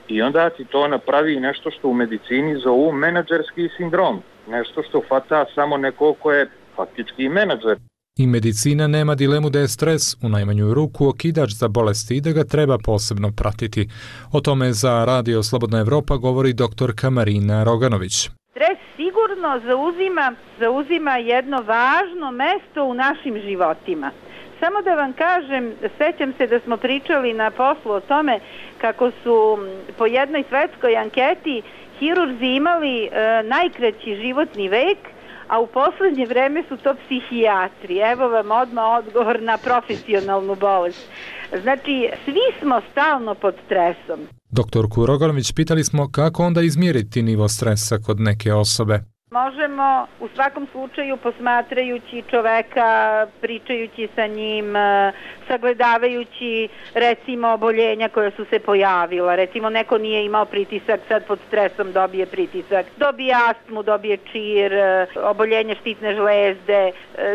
i onda ti to napravi nešto što u medicini zovu menadžerski sindrom, nešto što fata samo neko ko je faktički menadžer. I medicina nema dilemu da je stres u najmanju ruku okidač za bolesti i da ga treba posebno pratiti. O tome za Radio Slobodna Evropa govori doktorka Marina Roganović. Stres sigurno zauzima, zauzima jedno važno mesto u našim životima. Samo da vam kažem, sećam se da smo pričali na poslu o tome kako su po jednoj svetskoj anketi hirurzi imali e, najkraći životni vek, a u poslednje vreme su to psihijatri. Evo vam odmah odgovor na profesionalnu bolest. Znači, svi smo stalno pod stresom. Doktorku Roganović pitali smo kako onda izmjeriti nivo stresa kod neke osobe. Možemo u svakom slučaju posmatrajući čoveka, pričajući sa njim, sagledavajući recimo oboljenja koja su se pojavila. Recimo neko nije imao pritisak, sad pod stresom dobije pritisak, dobije astmu, dobije čir, oboljenje štitne žlezde.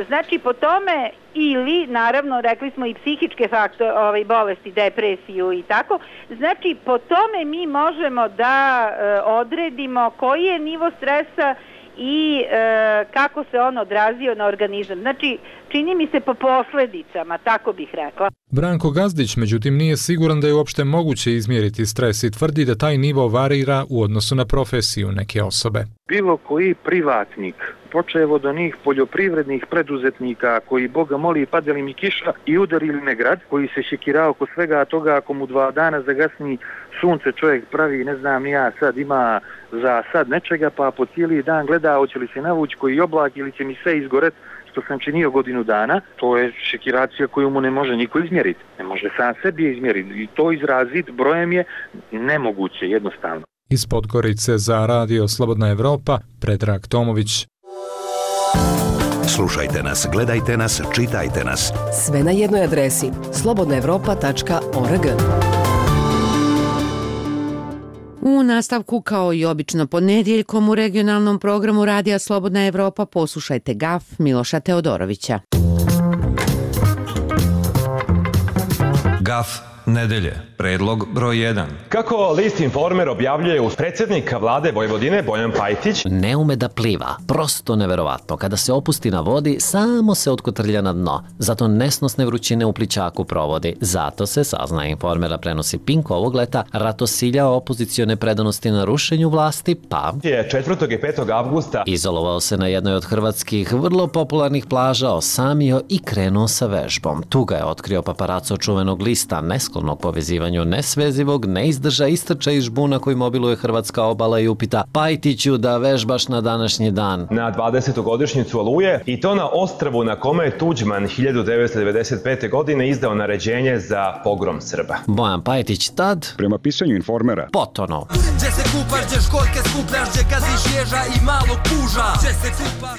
Znači po tome ili naravno rekli smo i psihičke faktore, ovaj, bolesti, depresiju i tako. Znači po tome mi možemo da odredimo koji je nivo stresa i e, kako se on odrazio na organizam. Znači, čini mi se po posledicama, tako bih rekla. Branko Gazdić, međutim, nije siguran da je uopšte moguće izmjeriti stres i tvrdi da taj nivo varira u odnosu na profesiju neke osobe. Bilo koji privatnik, počevo do njih poljoprivrednih preduzetnika koji Boga moli padali mi kiša i udarili me grad, koji se šekirao oko svega toga ako mu dva dana zagasni sunce čovjek pravi, ne znam ja, sad ima za sad nečega pa po cijeli dan gleda hoće li se navući koji oblak ili će mi sve izgoret što sam činio godinu dana, to je šekiracija koju mu ne može niko izmjeriti. Ne može sam sebi izmjeriti i to izraziti brojem je nemoguće, jednostavno. Iz Podgorice za Radio Slobodna Evropa, Predrag Tomović. Slušajte nas, gledajte nas, čitajte nas. Sve na jednoj adresi slobodna evropa tačka org. U nastavku, kao i obično ponedjeljkom u regionalnom programu Radija Slobodna Evropa, poslušajte Gaf Miloša Teodorovića. Gaf nedelje. Predlog broj jedan. Kako list Informer objavljuje uz predsjednika vlade Vojvodine Bojan Pajtić, ne ume da pliva, prosto neverovatno. Kada se opusti na vodi, samo se otkotrlja na dno. Zato nesnosne vrućine u plićaku provodi. Zato se, sazna Informera prenosi Pink ovog leta, ratosiljao opozicione predanosti na rušenju vlasti, pa je četvrtog i petog avgusta izolovao se na jednoj od hrvatskih vrlo popularnih plaža, osamio i krenuo sa vežbom. Tu ga je otkrio paparaco čuvenog lista, nesklonog povezivanju nesvezivog, neizdrža istrča iz žbuna koji mobiluje hrvatska obala i upita: Pajtiću, da vežbaš na današnji dan? Na dvadesetu godišnjicu Oluje, i to na ostrvu na kome je Tuđman hiljadu devetsto devedeset pete. godine izdao naređenje za pogrom Srba. Bojan Pajtić tad, prema pisanju Informera, potono.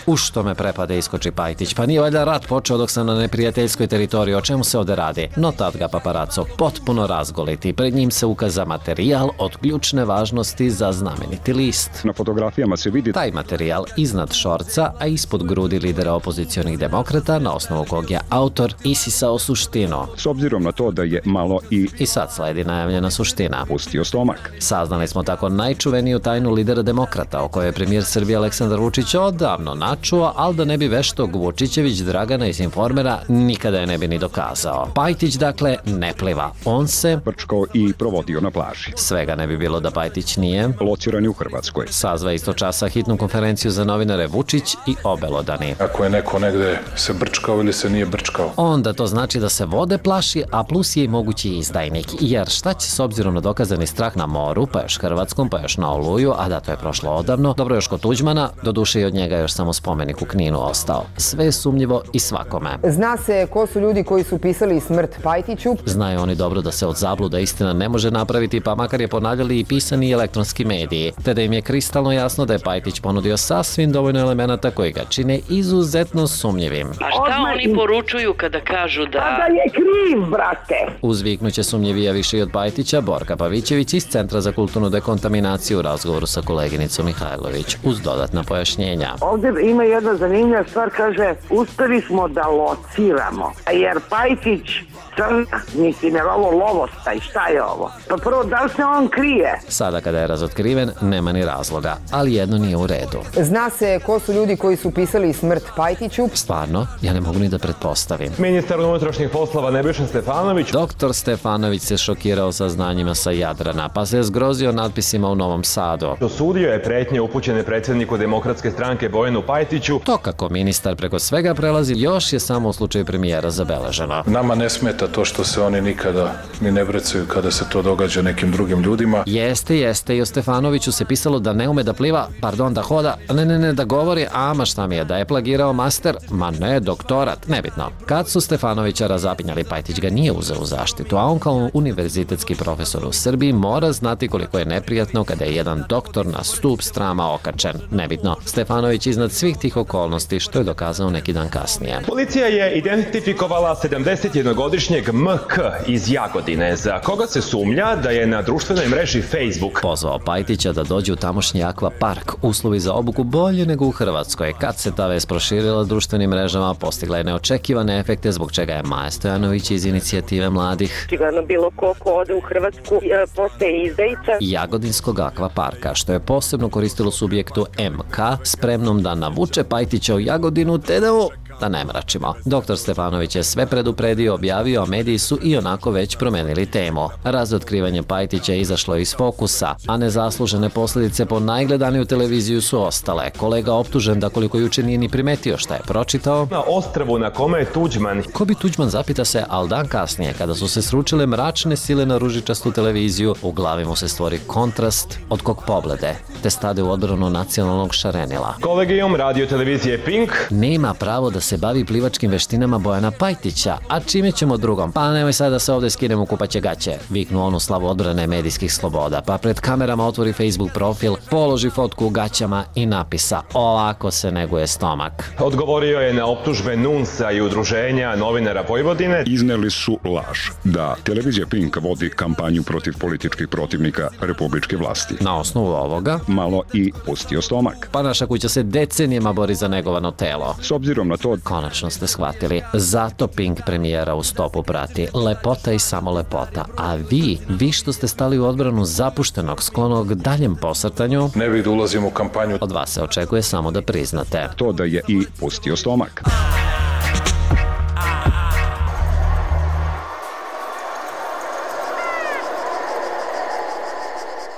U što me prepade iskoči Pajtić. Pa nije valjda rat počeo dok sam na neprijateljskoj teritoriji, o čemu se ovde radi? No tad ga paparaco potpuno razgoliti. Pred njim se ukaza materijal od ključne važnosti za znameniti list. Na fotografijama se vidi taj materijal iznad šorca, a ispod grudi lidera opozicionih demokrata, na osnovu kog je autor isisao suštinu. S obzirom na to da je malo i... I sad sledi najavljena suština. Pustio stomak. Saznali smo tako najčuveniju tajnu lidera demokrata, o kojoj je premijer Srbije Aleksandar Vučić odavno načuo, ali da ne bi veštog Vučićević Dragana iz Informera nikada je ne bi ni dokazao. Pajtić, dakle, ne pliva. On se brčkao i provodio na plaži. Svega ne bi bilo da Pajtić nije lociran u Hrvatskoj. Sazva isto časa hitnu konferenciju za novinare Vučić i obelodani. Ako je neko negde se brčkao ili se nije brčkao, onda to znači da se vode plaši, a plus je i mogući izdajnik. Jer šta će s obzirom na dokazani strah na moru, pa još Hrvatskom, pa još na Oluju, a da, to je prošlo odavno, dobro još kod Tuđmana, doduše i od njega još samo spomenik u Kninu ostao. Sve je sumnjivo i svakome. Zna se ko su ljudi koji su pisali smrt Pajtiću. Znaju oni dobro da se od zabluda istina ne može napraviti, pa makar je ponavljali i pisani i elektronski mediji, te da im je kristalno jasno da je Pajtić ponudio sasvim dovoljno elemenata koji ga čine izuzetno sumnjivim. A šta oni poručuju kada kažu da... A da je kriv, brate! Uzviknuće sumnjivija više i od Pajtića Borka Pavićević iz Centra za kulturnu dekontaminaciju u razgovoru sa koleginicom Mihajlović, uz dodatna pojašnjenja. Ovdje ima jedna zanimljiva stvar, kaže, uspeli smo da lociramo, jer Pajtić crna, mislim, je ovo lovostaj, šta je ovo? Pa prvo, da li se on krije? Sada kada je razotkriven, nema ni razloga, ali jedno nije u redu. Zna se ko su ljudi koji su pisali smrt Pajtiću? Stvarno, ja ne mogu ni da pretpostavim. Ministar unutrašnjih poslova Nebojša Stefanović. Doktor Stefanović se šokirao saznanjima sa Jadrana, pa se je zgrozio natpisima u Novom Sadu. Osudio je pretnje upućene predsjedniku Demokratske stranke Bojanu Pajtiću. To kako ministar preko svega prelazi još je samo u slučaju premijera zabeleženo. Nama ne smeta to što se oni nikada ni ne brecaju kada se to događa nekim drugim ljudima. Jeste, jeste, i o Stefanoviću se pisalo da ne ume da pliva, pardon, da hoda, ne, ne, ne, da govori, ama šta mi je, da je plagirao master, ma ne, doktorat, nebitno. Kad su Stefanovića razapinjali, Pajtić ga nije uzeo u zaštitu, a on kao univerzitetski profesor u Srbiji mora znati koliko je neprijatno kada je jedan doktor na stup strama okačen. Nebitno, Stefanović iznad svih tih okolnosti, što je dokazao neki dan kasnije. Policija je identifikovala sedamdesetjednogodišnjeg M K iz Jagodine, za koga se sumnja da je na društvenoj mreži Facebook pozvao Pajtića da dođe u tamošnji akva park. Uslovi za obuku bolje nego u Hrvatskoj. Kad se ta vest proširila društvenim mrežama, postigla je neočekivane efekte, zbog čega je Maja Stojanović iz inicijative mladih Čigano bilo ko ko ode u Hrvatsku postaje izdajica Jagodinskog akva parka, što je posebno koristilo subjektu M K, spremnom da navuče Pajtića u Jagodinu, te da mu da ne mračimo. Doktor Stefanović je sve predupredio, objavio, a mediji su i onako već promenili temu. Razotkrivanje Pajtića je izašlo iz fokusa, a nezaslužene posljedice po najgledaniju televiziju su ostale. Kolega optužen da koliko juče nije ni primetio šta je pročitao. Na ostrvu na kome je Tuđman. Ko bi Tuđman, zapita se, al dan kasnije, kada su se sručile mračne sile na ružičastu televiziju, u glavi mu se stvori kontrast od kog poglede, te stade u odbranu nacionalnog šarenila. Kolegijom radio televizije Pink nema pravo da se se bavi plivačkim veštinama Bojana Pajtića, a čime ćemo drugom? Pa nemoj sad da se ovde skinemo u kupaće gaće, viknu onu slavu odbrane medijskih sloboda, pa pred kamerama otvori Facebook profil, položi fotku u gaćama i napisa: ovako se neguje stomak. Odgovorio je na optužbe Nunsa i udruženja novinara Vojvodine. Izneli su laž da televizija Pink vodi kampanju protiv političkih protivnika republičke vlasti. Na osnovu ovoga malo i pustio stomak. Pa naša kuća se decenijama bori za negovano telo. S obzirom na to, konačno ste shvatili, zato Pink premijera u stopu prati lepota i samo lepota, a vi, vi što ste stali u odbranu zapuštenog, sklonog daljem posrtanju, ne bih da ulazim u kampanju. Od vas se očekuje samo da priznate to da je i pustio stomak.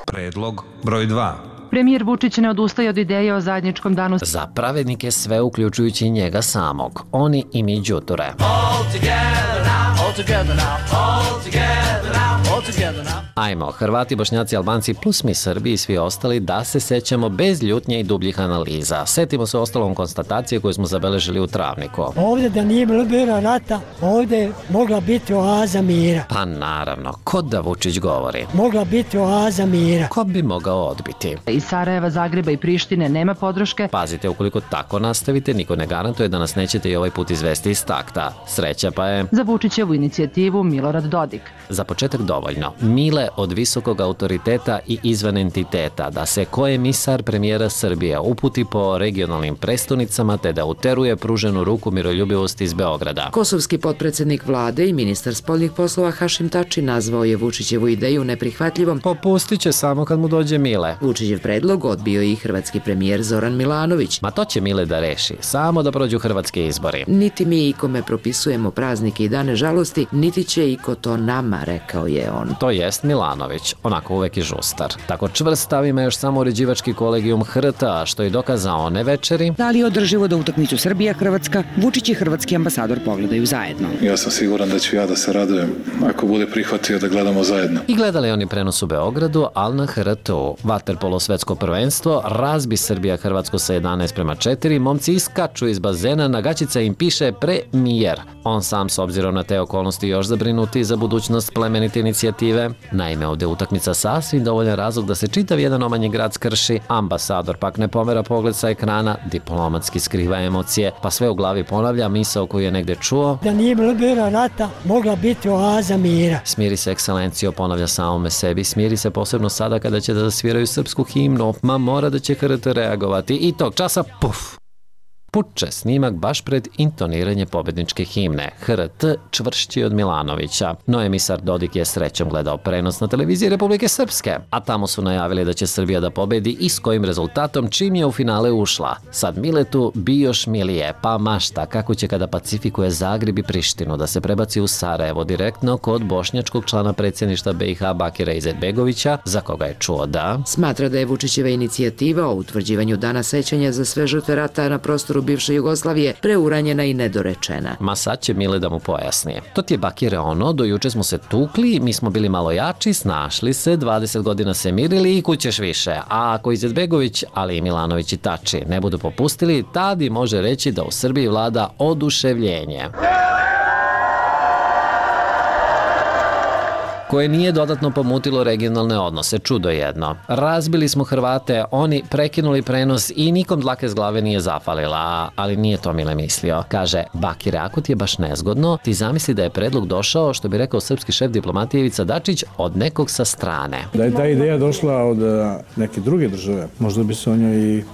Predlog broj dva. Premijer Vučić ne odustaje od ideje o zajedničkom danu za pravednike, sve uključujući njega samog. Oni i mi đuture. Ajmo, Hrvati, Bošnjaci, Albanci plus mi Srbi i svi ostali, da se sećamo bez ljutnje i dubljih analiza. Setimo se ostalom konstatacije koju smo zabeležili u Travniku. Ovdje da nije bilo rata, ovdje je mogla biti oaza mira. Pa naravno, ko da Vučić govori? Mogla biti oaza mira. Ko bi mogao odbiti? Iz Sarajeva, Zagreba i Prištine nema podrške. Pazite, ukoliko tako nastavite, niko ne garantuje da nas nećete i ovaj put izvesti iz takta. Sreća pa je za Vučićevu inicijativu Milorad Dodik. Za početak dovoljno. Mile od visokog autoriteta i izvan entiteta da se ko emisar premijera Srbije uputi po regionalnim prestonicama te da uteruje pruženu ruku miroljubivosti iz Beograda. Kosovski potpredsednik vlade i ministar spoljnih poslova Hašim Tači nazvao je Vučićevu ideju neprihvatljivom. Popustit će samo kad mu dođe Mile. Vučićev predlog odbio i hrvatski premijer Zoran Milanović. Ma to će Mile da reši, samo da prođu hrvatski izbori. Niti mi ikome propisujemo praznike i dane žalosti, niti će iko to nama, rekao je on. To jest Milanović, onako uvek i žustar. Tako čvrst stav ima još samo uređivački kolegijum H R T-a, što je dokazao one večeri. Da li je održivo da utakmicu Srbija-Hrvatska, Vučić i hrvatski ambasador pogledaju zajedno? Ja sam siguran da ću ja da se radujem ako bude prihvatio da gledamo zajedno. I gledali oni prenos u Beogradu, ali na H R T-u. Vaterpolo svetsko prvenstvo, razbi Srbija-Hrvatsko sa jedanaest prema četiri, momci iskaču iz bazena, na gaćica im piše premijer. On sam, s obzirom na te okolnosti, još zabrinuti za budućnost plemenite inicijative. Naime, ovde utakmica sasvim dovoljan razlog da se čitav jedan omanji grad skrši, ambasador pak ne pomera pogled sa ekrana, diplomatski skriva emocije, pa sve u glavi ponavlja misao koju je negde čuo. Da nije bilo rata, mogla biti oaza mira. Smiri se, ekscelencijo, ponavlja samome sebi, smiri se posebno sada kada će da zasviraju srpsku himnu, ma mora da će H R T reagovati i tog časa, puf! Puče snimak baš pred intoniranje pobedničke himne. H R T čvršći od Milanovića. No emisar Dodik je srećom gledao prenos na televiziji Republike Srpske, a tamo su najavili da će Srbija da pobedi i s kojim rezultatom čim je u finale ušla. Sad Miletu bi još milije, pa mašta kako će kada pacifikuje Zagreb i Prištinu da se prebaci u Sarajevo direktno kod bošnjačkog člana predsjedništva B i H Bakira Izetbegovića, za koga je čuo da smatra da je Vučićeva inicijativa o utvrđivanju dana sećanja za sve žrtve rata na prostoru bivše Jugoslavije preuranjena i nedorečena. Ma sad će Mile da mu pojasni. To ti je Bakire ono, do juče smo se tukli, mi smo bili malo jači, snašli se, dvadeset godina se mirili i kućeš više. A ako Izetbegović, ali i Milanović i Tači ne budu popustili, tada može reći da u Srbiji vlada oduševljenje, koje nije dodatno pomutilo regionalne odnose, čudo jedno. Razbili smo Hrvate, oni prekinuli prenos i nikom dlake s glave nije zafalila, ali nije to Mile mislio. Kaže, Bakire, ako ti je baš nezgodno, ti zamisli da je predlog došao, što bi rekao srpski šef diplomatije Ivica Dačić, od nekog sa strane. Da je ta ideja došla od neke druge države, možda bi se o njoj i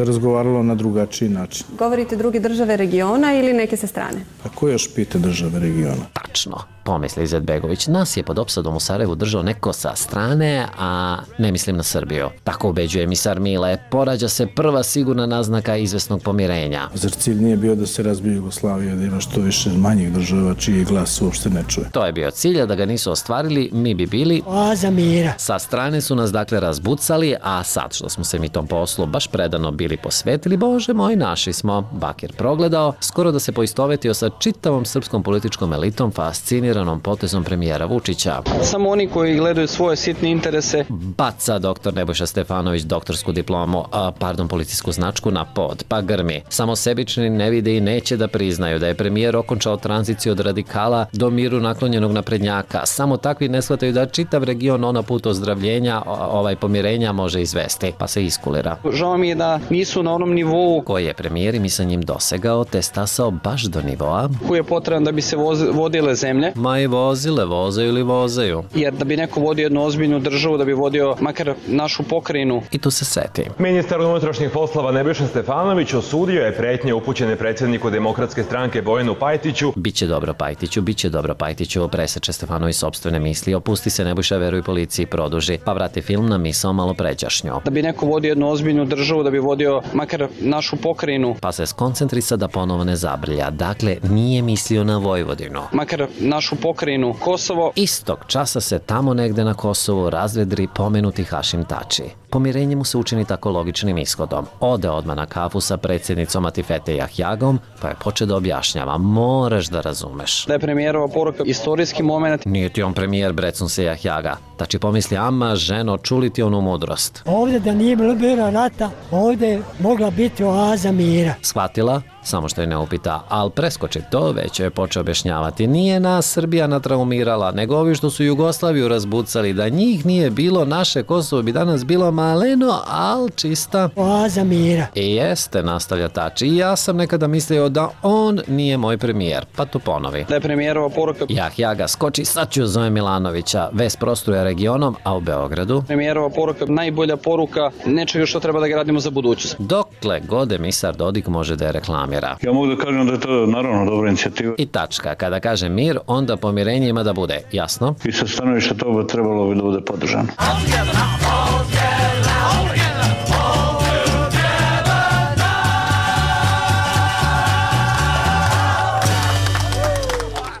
razgovaralo na drugačiji način. Govorite druge države regiona ili neke sa strane? Pa ko još pita države regiona? Tačno, pomisli Izetbegović, nas je pod opsadom u Sarajevu držao neko sa strane, a ne mislim na Srbiju. Tako ubeđuje emisar Mile, porađa se prva sigurna naznaka izvesnog pomirenja. Zar cilj nije bio da se razbije Jugoslavija, da ima što više manjih država čiji glas uopšte ne čuje? To je bio cilj, a da ga nisu ostvarili, mi bi bili oaza mira. Sa strane su nas dakle razbucali, a sad što smo se mi tom poslu baš predano bili posvetili, bože moj, naši smo. Bakir progledao, skoro da se poistovetio sa čitavom srpskom političkom elitom fasciniranom potezom premijera Vučića. Vučića. Samo oni koji gledaju svoje sitne interese. Baca doktor Nebojša Stefanović doktorsku diplomu, a, pardon, policijsku značku na pod, pa grmi. Samo sebični ne vide i neće da priznaju da je premijer okončao tranziciju od radikala do miru naklonjenog naprednjaka. Samo takvi ne shvataju da čitav region ona put ozdravljenja, ovaj pomirenja može izvesti, pa se iskulira. Žao mi je da nisu na onom nivou koji je premijer i mi sa njim dosegao, te stasao baš do nivoa koji je potreban da bi se voz, vodile zemlje. Ma i vozile, vozaju ili vozaju. Jer da bi neko vodio jednu ozbiljnu državu, da bi vodio makar našu pokrajinu. I tu se seti. Ministar unutrašnjih poslova Nebojša Stefanović osudio je pretnje upućene predsjedniku Demokratske stranke Bojanu Pajtiću. Biće dobro Pajtiću, biće dobro Pajtiću, preseče Stefanović sopstvene misli, opusti se Nebojša, veruj policiji, produži, pa vrati film na misao malo pređašnju. Da bi neko vodio jednu ozbiljnu državu, da bi vodio makar našu pokrajinu. Pa se skoncentrisa da ponovo ne zabrlja. Dakle, nije mislio na Vojvodinu. Makar našu pokrajinu Kosovo. Istog časa se tamo negde na Kosovu razvedri pomenuti Hašim Tači. Pomirenje mu se učini tako logičnim ishodom. Ode odmah na kafu sa predsjednicom Atifete Jahjagom, pa je poče da objašnjava. Moraš da razumeš. Da je premijerova poruka istorijski moment. Nije ti on premijer, brecun se Jahjaga. Tači pomisli, ama ženo, čuli ti onu mudrost. Ovdje da nije bilo rata, ovdje je mogla biti oaza mira. Shvatila? Samo što je ne upita, ali preskoči to, već je počeo objašnjavati. Nije nas Srbija natraumirala, nego ovi što su Jugoslaviju razbucali. Da njih nije bilo, naše Kosovo bi danas bilo maleno, ali čista oaza mira. I jeste, nastavlja Tači. I ja sam nekada mislio da on nije moj premijer, pa to ponovi. Da je premijerova poruka. Jahjaga skoči, sad ću zove Milanovića. Ves prostruje regionom, a u Beogradu premijerova poruka, najbolja poruka nečega što treba da gradimo za budućnost. Dokle god emisar Dodik može da je reklamira. Ja mogu da kažem da je to naravno dobra inicijativa. I tačka. Kada kaže mir, onda pomirenje ima da bude. Jasno? I sa stanovišta toga trebalo bi da bude podržano.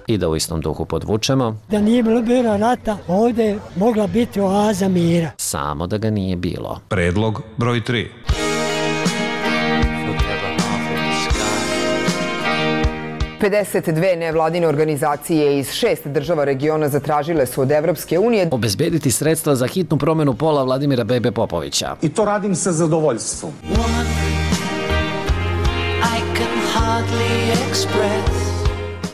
I da u istom duhu podvučemo. Da nije bilo rata, ovdje je mogla biti oaza mira. Samo da ga nije bilo. Predlog broj tri. pedeset dve nevladine organizacije iz šest država regiona zatražile su od Evropske unije obezbediti sredstva za hitnu promenu pola Vladimira Bebe Popovića. I to radim sa zadovoljstvom.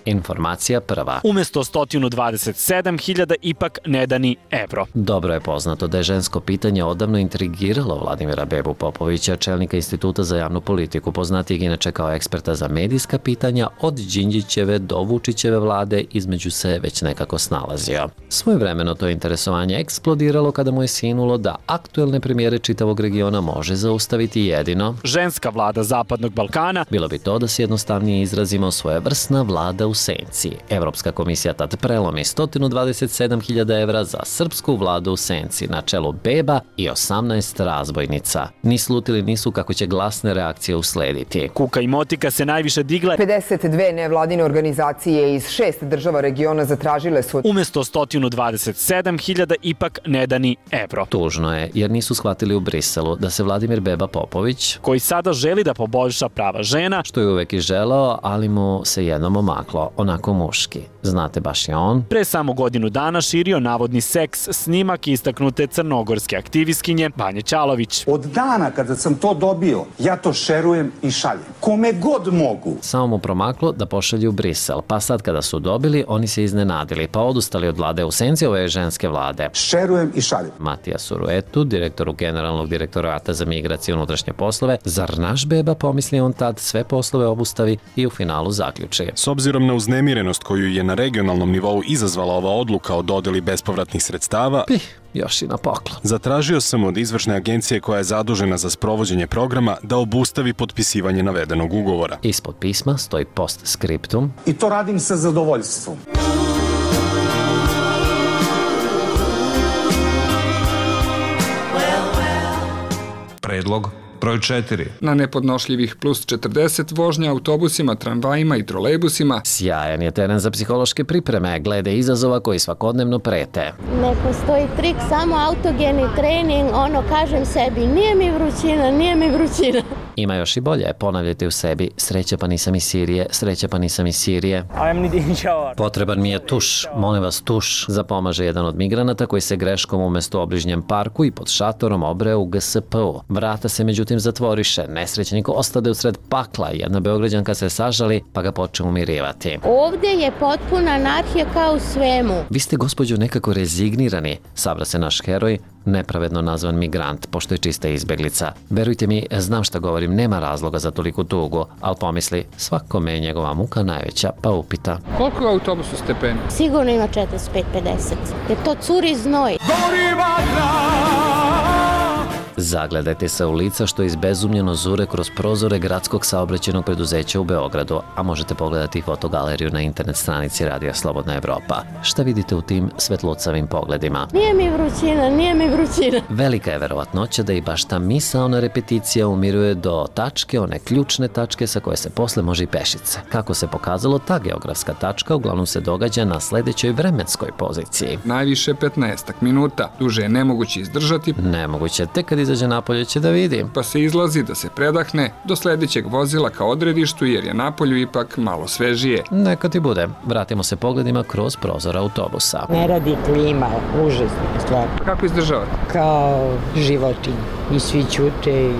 Informacija prva. Umesto sto dvadeset sedam hiljada ipak ne da ni evro. Dobro je poznato da je žensko pitanje odavno intrigiralo Vladimira Bebu Popovića, čelnika Instituta za javnu politiku, poznatijeg inače kao eksperta za medijska pitanja, od Đinđićeve do Vučićeve vlade između se već nekako snalazio. Svojevremeno to interesovanje eksplodiralo kada mu je sinulo da aktuelne premijere čitavog regiona može zaustaviti jedino ženska vlada Zapadnog Balkana. Bilo bi to da se jednostavnije izrazimo svojevrsna vlada u senci. Evropska komisija tad prelomi sto dvadeset sedam hiljada evra za srpsku vladu u senci na čelu Beba i osamnaest razbojnica. Ni slutili nisu kako će glasne reakcije uslediti. Kuka i motika se najviše digle. pedeset dve nevladine organizacije iz šest država regiona zatražile su umesto sto dvadeset sedam hiljada ipak ne da ni evro. Tužno je, jer nisu shvatili u Briselu da se Vladimir Beba Popović, koji sada želi da poboljša prava žena, što je uvek i želeo, ali mu se jednom omaklo, onako muški. Znate, baš je on pre samo godinu dana širio navodni seks snimak istaknute crnogorske aktivistkinje Banje Ćalović. Od dana kada sam to dobio, ja to šerujem i šaljem. Kome god mogu. Samo mu promaklo da pošalju u Brisel, pa sad kada su dobili, oni se iznenadili, pa odustali od vlade u senci ove ženske vlade. Šerujem i šaljem. Matija Suruetu, direktoru Generalnog direktorata za migracije i unutrašnje poslove, zar naš Beba, pomisli on tad, sve poslove obustavi i u finalu zaključi. S obzirom na uznemirenost koju je na regionalnom nivou izazvala ova odluka o dodeli bespovratnih sredstava, Pih, još i na poklon. Zatražio sam od izvršne agencije koja je zadužena za sprovođenje programa da obustavi potpisivanje navedenog ugovora. Ispod pisma stoji postscriptum. I to radim sa zadovoljstvom. Predlog broj četiri. Na nepodnošljivih plus četrdeset vožnja autobusima, tramvajima i trolejbusima. Sjajan je teren za psihološke pripreme, glede izazova koji svakodnevno prete. Ne postoji trik, samo autogeni trening, ono kažem sebi, nije mi vrućina, nije mi vrućina. Ima još i bolje, ponavljajte u sebi, sreća pa nisam iz Sirije, sreća pa nisam iz Sirije. Potreban mi je tuš, molim vas tuš, zapomaže jedan od migranata koji se greškom umesto u obližnjem parku i pod šatorom obreo u G S P-u. Vrata se međutim zatvoriše, nesrećnik ostade usred pakla, jedna Beograđanka se sažali pa ga počne umirivati. Ovdje je potpuna anarhija kao u svemu. Vi ste, gospođo, nekako rezignirani, sabra se naš heroj, nepravedno nazvan migrant, pošto je čista izbeglica. Verujte mi, znam šta govorim, nema razloga za toliku tugu, ali pomisli, svakome je njegova muka najveća, pa upita. Koliko je u autobusu stepeni? Sigurno ima četrdeset pet pedeset. Jer to curi znoj. Zagledajte se u lica što izbezumljeno zure kroz prozore gradskog saobraćajnog preduzeća u Beogradu, a možete pogledati fotogaleriju na internet stranici Radija Slobodna Evropa. Šta vidite u tim svetlucavim pogledima? Nije mi vrućina, nije mi vrućina. Velika je verovatnoća da i baš ta misaona repeticija umiruje do tačke, one ključne tačke sa koje se posle može i pešice. Kako se pokazalo, ta geografska tačka uglavnom se događa na sledećoj vremenskoj poziciji. Najviše petnaestak minuta, duže je nemoguće izdržati. Nemoguće, tek kad izađe napolje će da vidi. Pa se izlazi da se predahne do sledećeg vozila ka odredištu jer je napolju ipak malo svežije. Neka ti bude. Vratimo se pogledima kroz prozor autobusa. Ne radi klima, užasna stvar. Kako izdržavate? Kao životinje. I svi ćute i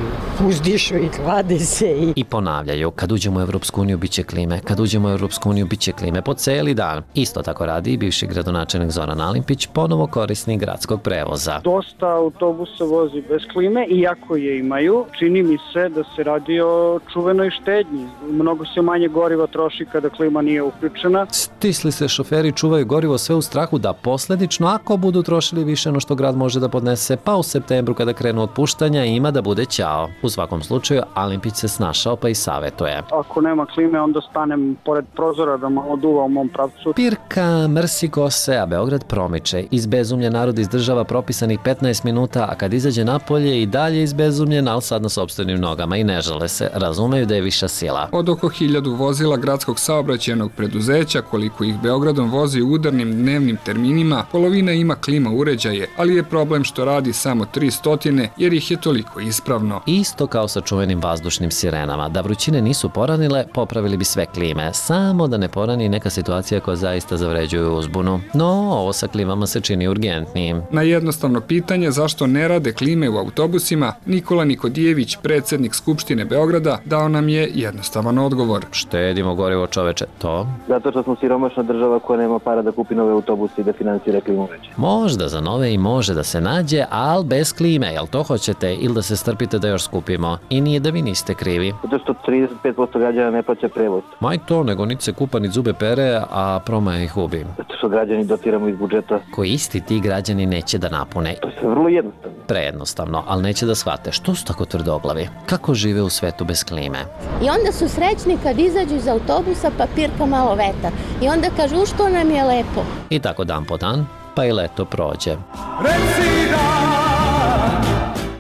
uzdišu i klade se. I... I ponavljaju, kad uđemo u Evropsku uniju biće klime, kad uđemo u Evropsku uniju biće klime po celi dan. Isto tako radi i bivši gradonačelnik Zoran Alimpić, ponovo korisnik gradskog prevoza. Dosta autobusa vozi bez klime, iako je imaju. Čini mi se da se radi o čuvenoj štednji. Mnogo se manje goriva troši kada klima nije uključena. Stisli se šoferi čuvaju gorivo sve u strahu da posledično, ako budu trošili više no što grad može da podnese, pa u septembru kada krenu otpuštanja ima da bude ćao. U svakom slučaju, Alimpić se snašao pa i savetuje. Ako nema klime, onda stanem pored prozora da malo duva u mom pravcu. Pirka, mrsi kose, a Beograd promiče. Izbezumljen narod izdržava propisanih petnaest minuta, a kad izađe napolje i dalje izbezumljen, ali sad na sopstvenim nogama i ne žale se, razumeju da je viša sila. Od oko hiljadu vozila gradskog saobraćajnog preduzeća, koliko ih Beogradom vozi u udarnim dnevnim terminima, polovina ima klima uređaje, ali je problem što radi samo tristo jer ih je toliko ispravno. Isto kao sa čuvenim vazdušnim sirenama. Da vrućine nisu poranile, popravili bi sve klime. Samo da ne porani neka situacija koja zaista zavređuje uzbunu. No, ovo sa klimama se čini urgentnijim. Na jednostavno pitanje zašto ne rade klime u autobusima, Nikola Nikodijević, predsjednik Skupštine Beograda, dao nam je jednostavan odgovor. Štedimo gorivo, čoveče, to? Zato što smo siromašna država koja nema para da kupi nove autobuse i da finansira klimu veće. Možda za nove i može da se nađe, ali bez klime, jel to hoćete? Ili da se strpite da još skupimo? I nije da vi niste krivi. Zato što trideset pet posto građana ne plaća prevoz. Maj to, nego niti se kupa, ni zube pere, a promaja ih ubi. Zato što građani dotiramo iz budžeta. Koji isti ti građani neće da napune. To je vrlo jednostavno. Prejednostavno, ali neće da shvate. Što su tako tvrdoglavi? Kako žive u svetu bez klime? I onda su srećni kad izađu iz autobusa pa pirka malo vetar. I onda kažu, u što nam je lepo. I tako dan po dan, pa i leto prođe.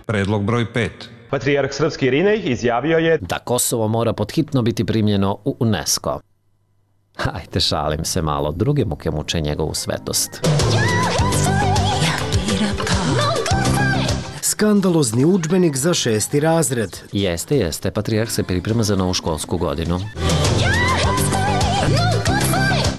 Predlog broj pet. Patrijarh srpski Irinej izjavio je da Kosovo mora podhitno biti primljeno u UNESCO. Hajde, šalim se malo, druge muke muče njegovu svetost. Skandalozni udžbenik za šesti razred. Jeste, jeste, Patrijarh se priprema za novu školsku godinu.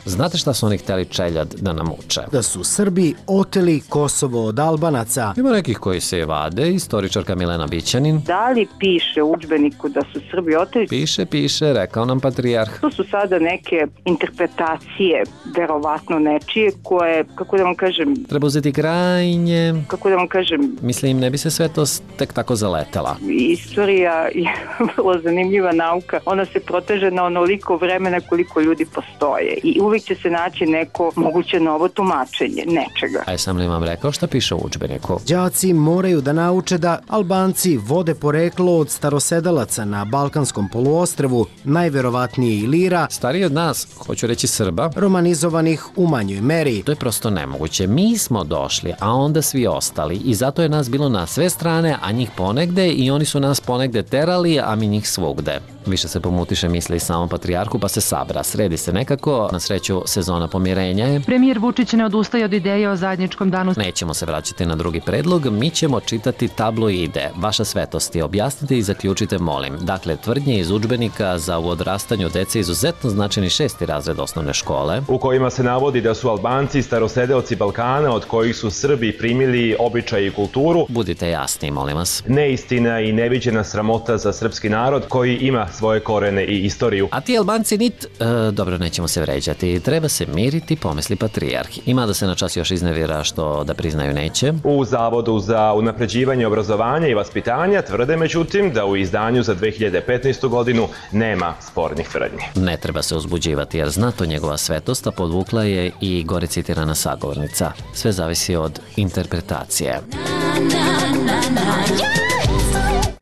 Znate šta su oni hteli čeljad da nam uče? Da su Srbi oteli Kosovo od Albanaca. Ima nekih koji se vade, istoričarka Milena Bićanin. Da li piše u udžbeniku da su Srbi oteli? Piše, piše, rekao nam Patrijarh. To su sada neke interpretacije, verovatno nečije, koje, kako da vam kažem... Treba uzeti krajnje... Kako da vam kažem... Mislim, ne bi se svetost tek tako zaletela. Istorija je vrlo zanimljiva nauka. Ona se proteže na onoliko vremena koliko ljudi postoje. I uvijek će se naći neko moguće novo tumačenje nečega. A sam li vam rekao šta piše u udžbeniku? Đaci moraju da nauče da Albanci vode poreklo od starosedalaca na Balkanskom poluostrvu, najverovatnije Ilira, stariji od nas, hoću reći Srba, romanizovanih u manjoj meri. To je prosto nemoguće. Mi smo došli, a onda svi ostali i zato je nas bilo na sve strane, a njih ponegde i oni su nas ponegde terali, a mi njih svugde. Više se pomutiše misli samom patrijarhu pa se sabra. Sredi se nekako, na sreću sezona pomirenja je. Premijer Vučić ne odustaje od ideje o zajedničkom danu. Nećemo se vraćati na drugi predlog, mi ćemo čitati tabloide. Vaša svetosti, objasnite i zaključite, molim. Dakle, tvrdnje iz udžbenika za u odrastanju dece izuzetno značajni šesti razred osnovne škole, u kojima se navodi da su Albanci starosedeoci Balkana od kojih su Srbi primili običaj i kulturu. Budite jasni, molim vas. Neistina i neviđena sramota za srpski narod koji ima svoje korene i istoriju. A ti Albanci nit... E, dobro, nećemo se vređati. Treba se miriti, pomisli patrijarh. Ima da se na čas još iznevira što da priznaju neće. U Zavodu za unapređivanje obrazovanja i vaspitanja tvrde međutim da u izdanju za dve hiljade petnaestu godinu nema spornih tvrdnji. Ne treba se uzbuđivati jer zna to njegova svetost, a podvukla je i gore citirana sagovornica. Sve zavisi od interpretacije.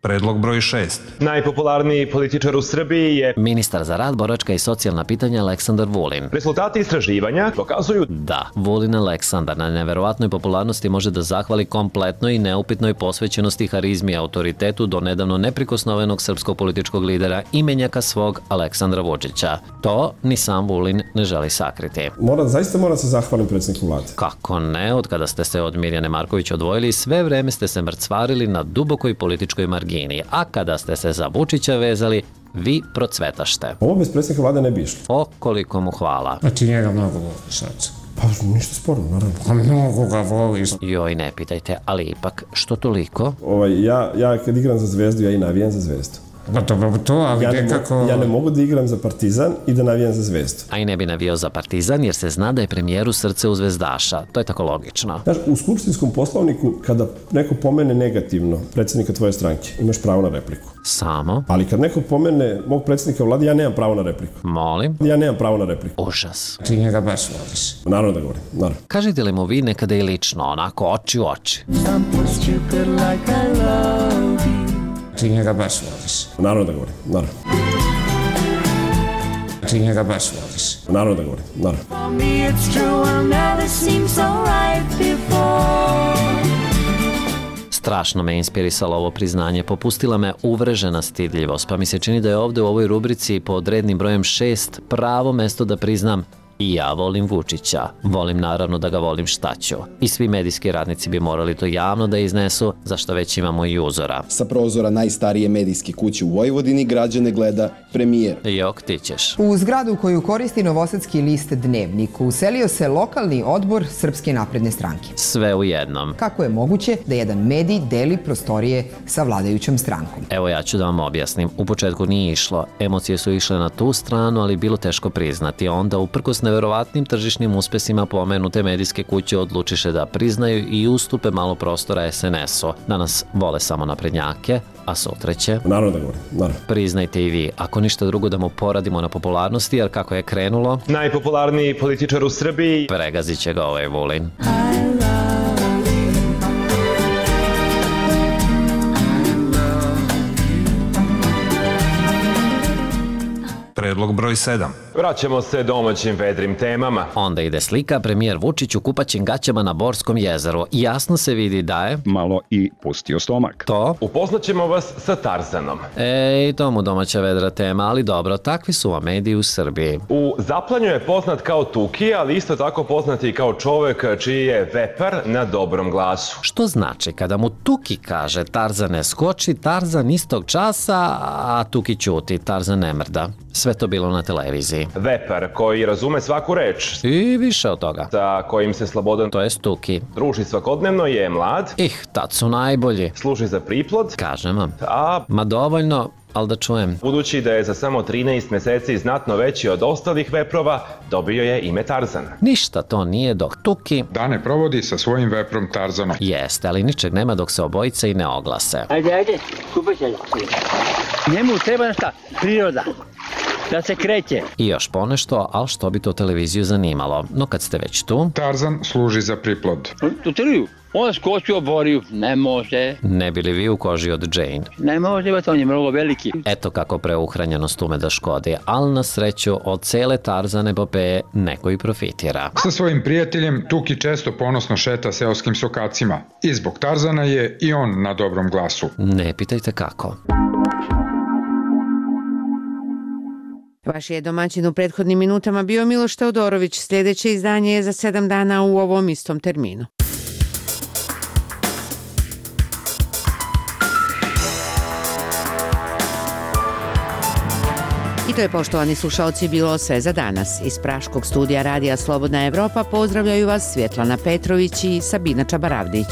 Predlog broj šest. Najpopularniji političar u Srbiji je ministar za rad, boračka i socijalna pitanja Aleksandar Vulin. Rezultati istraživanja pokazuju da Vulin Aleksandar na neverovatnoj popularnosti može da zahvali kompletnoj i neupitnoj posvećenosti, harizmi i autoritetu do nedavno neprikosnovenog srpskog političkog lidera i menjaka svog Aleksandra Vučića. To ni sam Vulin ne želi sakriti. Mora, zaista moram se zahvalim predsjedniku vlade. Kako ne, od kada ste se od Mirjane Marković odvojili, sve vreme ste se mrcvarili na dubokoj političkoj margini. A kada ste se za Vučića vezali, vi procvetašte. Ovo bez predsjednika vlade ne bi išlo. O, koliko mu hvala. Znači njega mnogo voliš, znači. Pa ništa sporno, naravno. Pa mnogo ga voliš. Joj, ne pitajte, ali ipak, što toliko? Ovaj, ja, ja kad igram za Zvezdu, ja i navijam za Zvezdu. Pa dobro to, ali ja nekako... Ne ja ne mogu da igram za Partizan i da navijam za Zvezdu. A i ne bi navijao za Partizan jer se zna da je premijeru srce u zvezdaša. To je tako logično. Znaš, u skupštinskom poslovniku kada neko pomene negativno predsjednika tvoje stranke, imaš pravo na repliku. Samo? Ali kad neko pomene mog predsjednika vlade, ja nemam pravo na repliku. Molim? Ja nemam pravo na repliku. Užas. Ti njega baš voliš. Naravno da govorim, naravno. Kažete li mu vi nekada i lično, onako oči u oči? Ti njega baš voliš. Naravno da govorim, naravno. Ti njega baš voliš. Naravno da govorim, naravno. Strašno me inspirisalo ovo priznanje, popustila me uvrežena stidljivost, pa mi se čini da je ovde u ovoj rubrici pod rednim brojem šest pravo mesto da priznam i ja volim Vučića. Volim naravno da ga volim šta ću. I svi medijski radnici bi morali to javno da iznesu, zašto već imamo i uzora. Sa prozora najstarije medijske kuće u Vojvodini građane gleda premijer. Jok, ti ćeš. U zgradu koju koristi novosadski list Dnevnik uselio se lokalni odbor Srpske napredne stranke. Sve u jednom. Kako je moguće da jedan medij deli prostorije sa vladajućom strankom? Evo ja ću da vam objasnim. U početku nije išlo. Emocije su išle na tu stranu, ali bilo teško priznati. Onda uprkos neverovatnim tržišnim uspesima pomenute medijske kuće odlučiše da priznaju i ustupe malo prostora es en es u. Danas vole samo naprednjake, a sutra će... Naravno da govorim, naravno. Priznajte i vi, ako ništa drugo da mu poradimo na popularnosti, jer kako je krenulo... Najpopularniji političar u Srbiji... Pregazit će ga ovaj Vulin. Predlog broj sedam. Vraćamo se domaćim vedrim temama. Onda ide slika, premijer Vučić u kupaćim gaćama na Borskom jezeru. Jasno se vidi da je... malo i pustio stomak. To? Upoznaćemo vas sa Tarzanom. Ej, to mu domaća vedra tema, ali dobro, takvi su vam mediji u Srbiji. U Zaplanju je poznat kao Tuki, ali isto tako poznat i kao čovek čiji je vepar na dobrom glasu. Što znači, kada mu Tuki kaže Tarzane skoči, Tarzan istog časa, a Tuki ćuti, Tarzan ne mrda. Sve to bilo na televiziji. Vepar koji razume svaku reč. I više od toga. Sa kojim se slobodan, to je Tuki, druži svakodnevno, je mlad. Ih, tad su najbolji. Služi za priplod. Kažem vam. A... Ma dovoljno, ali da čujem. Budući da je za samo trinaest meseci znatno veći od ostalih veprova, dobio je ime Tarzan. Ništa to nije dok Tuki dane provodi sa svojim veprom Tarzanom. Jeste, ali ničeg nema dok se obojice i ne oglase. Ajde, ajde, kupaj se. Njemu treba šta? Priroda. Da se kreće. I još ponešto, ali što bi to televiziju zanimalo. No kad ste već tu... Tarzan služi za priplod. Tu triju. On skoči u oboriju. Ne može. Ne bili vi u koži od Jane? Ne može, on je mnogo veliki. Eto kako preuhranjenost ume da škodi, ali na sreću od cele Tarzan epopeje neko i profitira. Sa svojim prijateljem Tuki često ponosno šeta seoskim sokacima. I zbog Tarzana je i on na dobrom glasu. Ne pitajte kako. Vaš je domaćin u prethodnim minutama bio Miloš Teodorović. Sljedeće izdanje je za sedam dana u ovom istom terminu. I to je, poštovani slušaoci, bilo sve za danas. Iz Praškog studija Radija Slobodna Evropa pozdravljaju vas Svjetlana Petrović i Sabina Čabaravdić.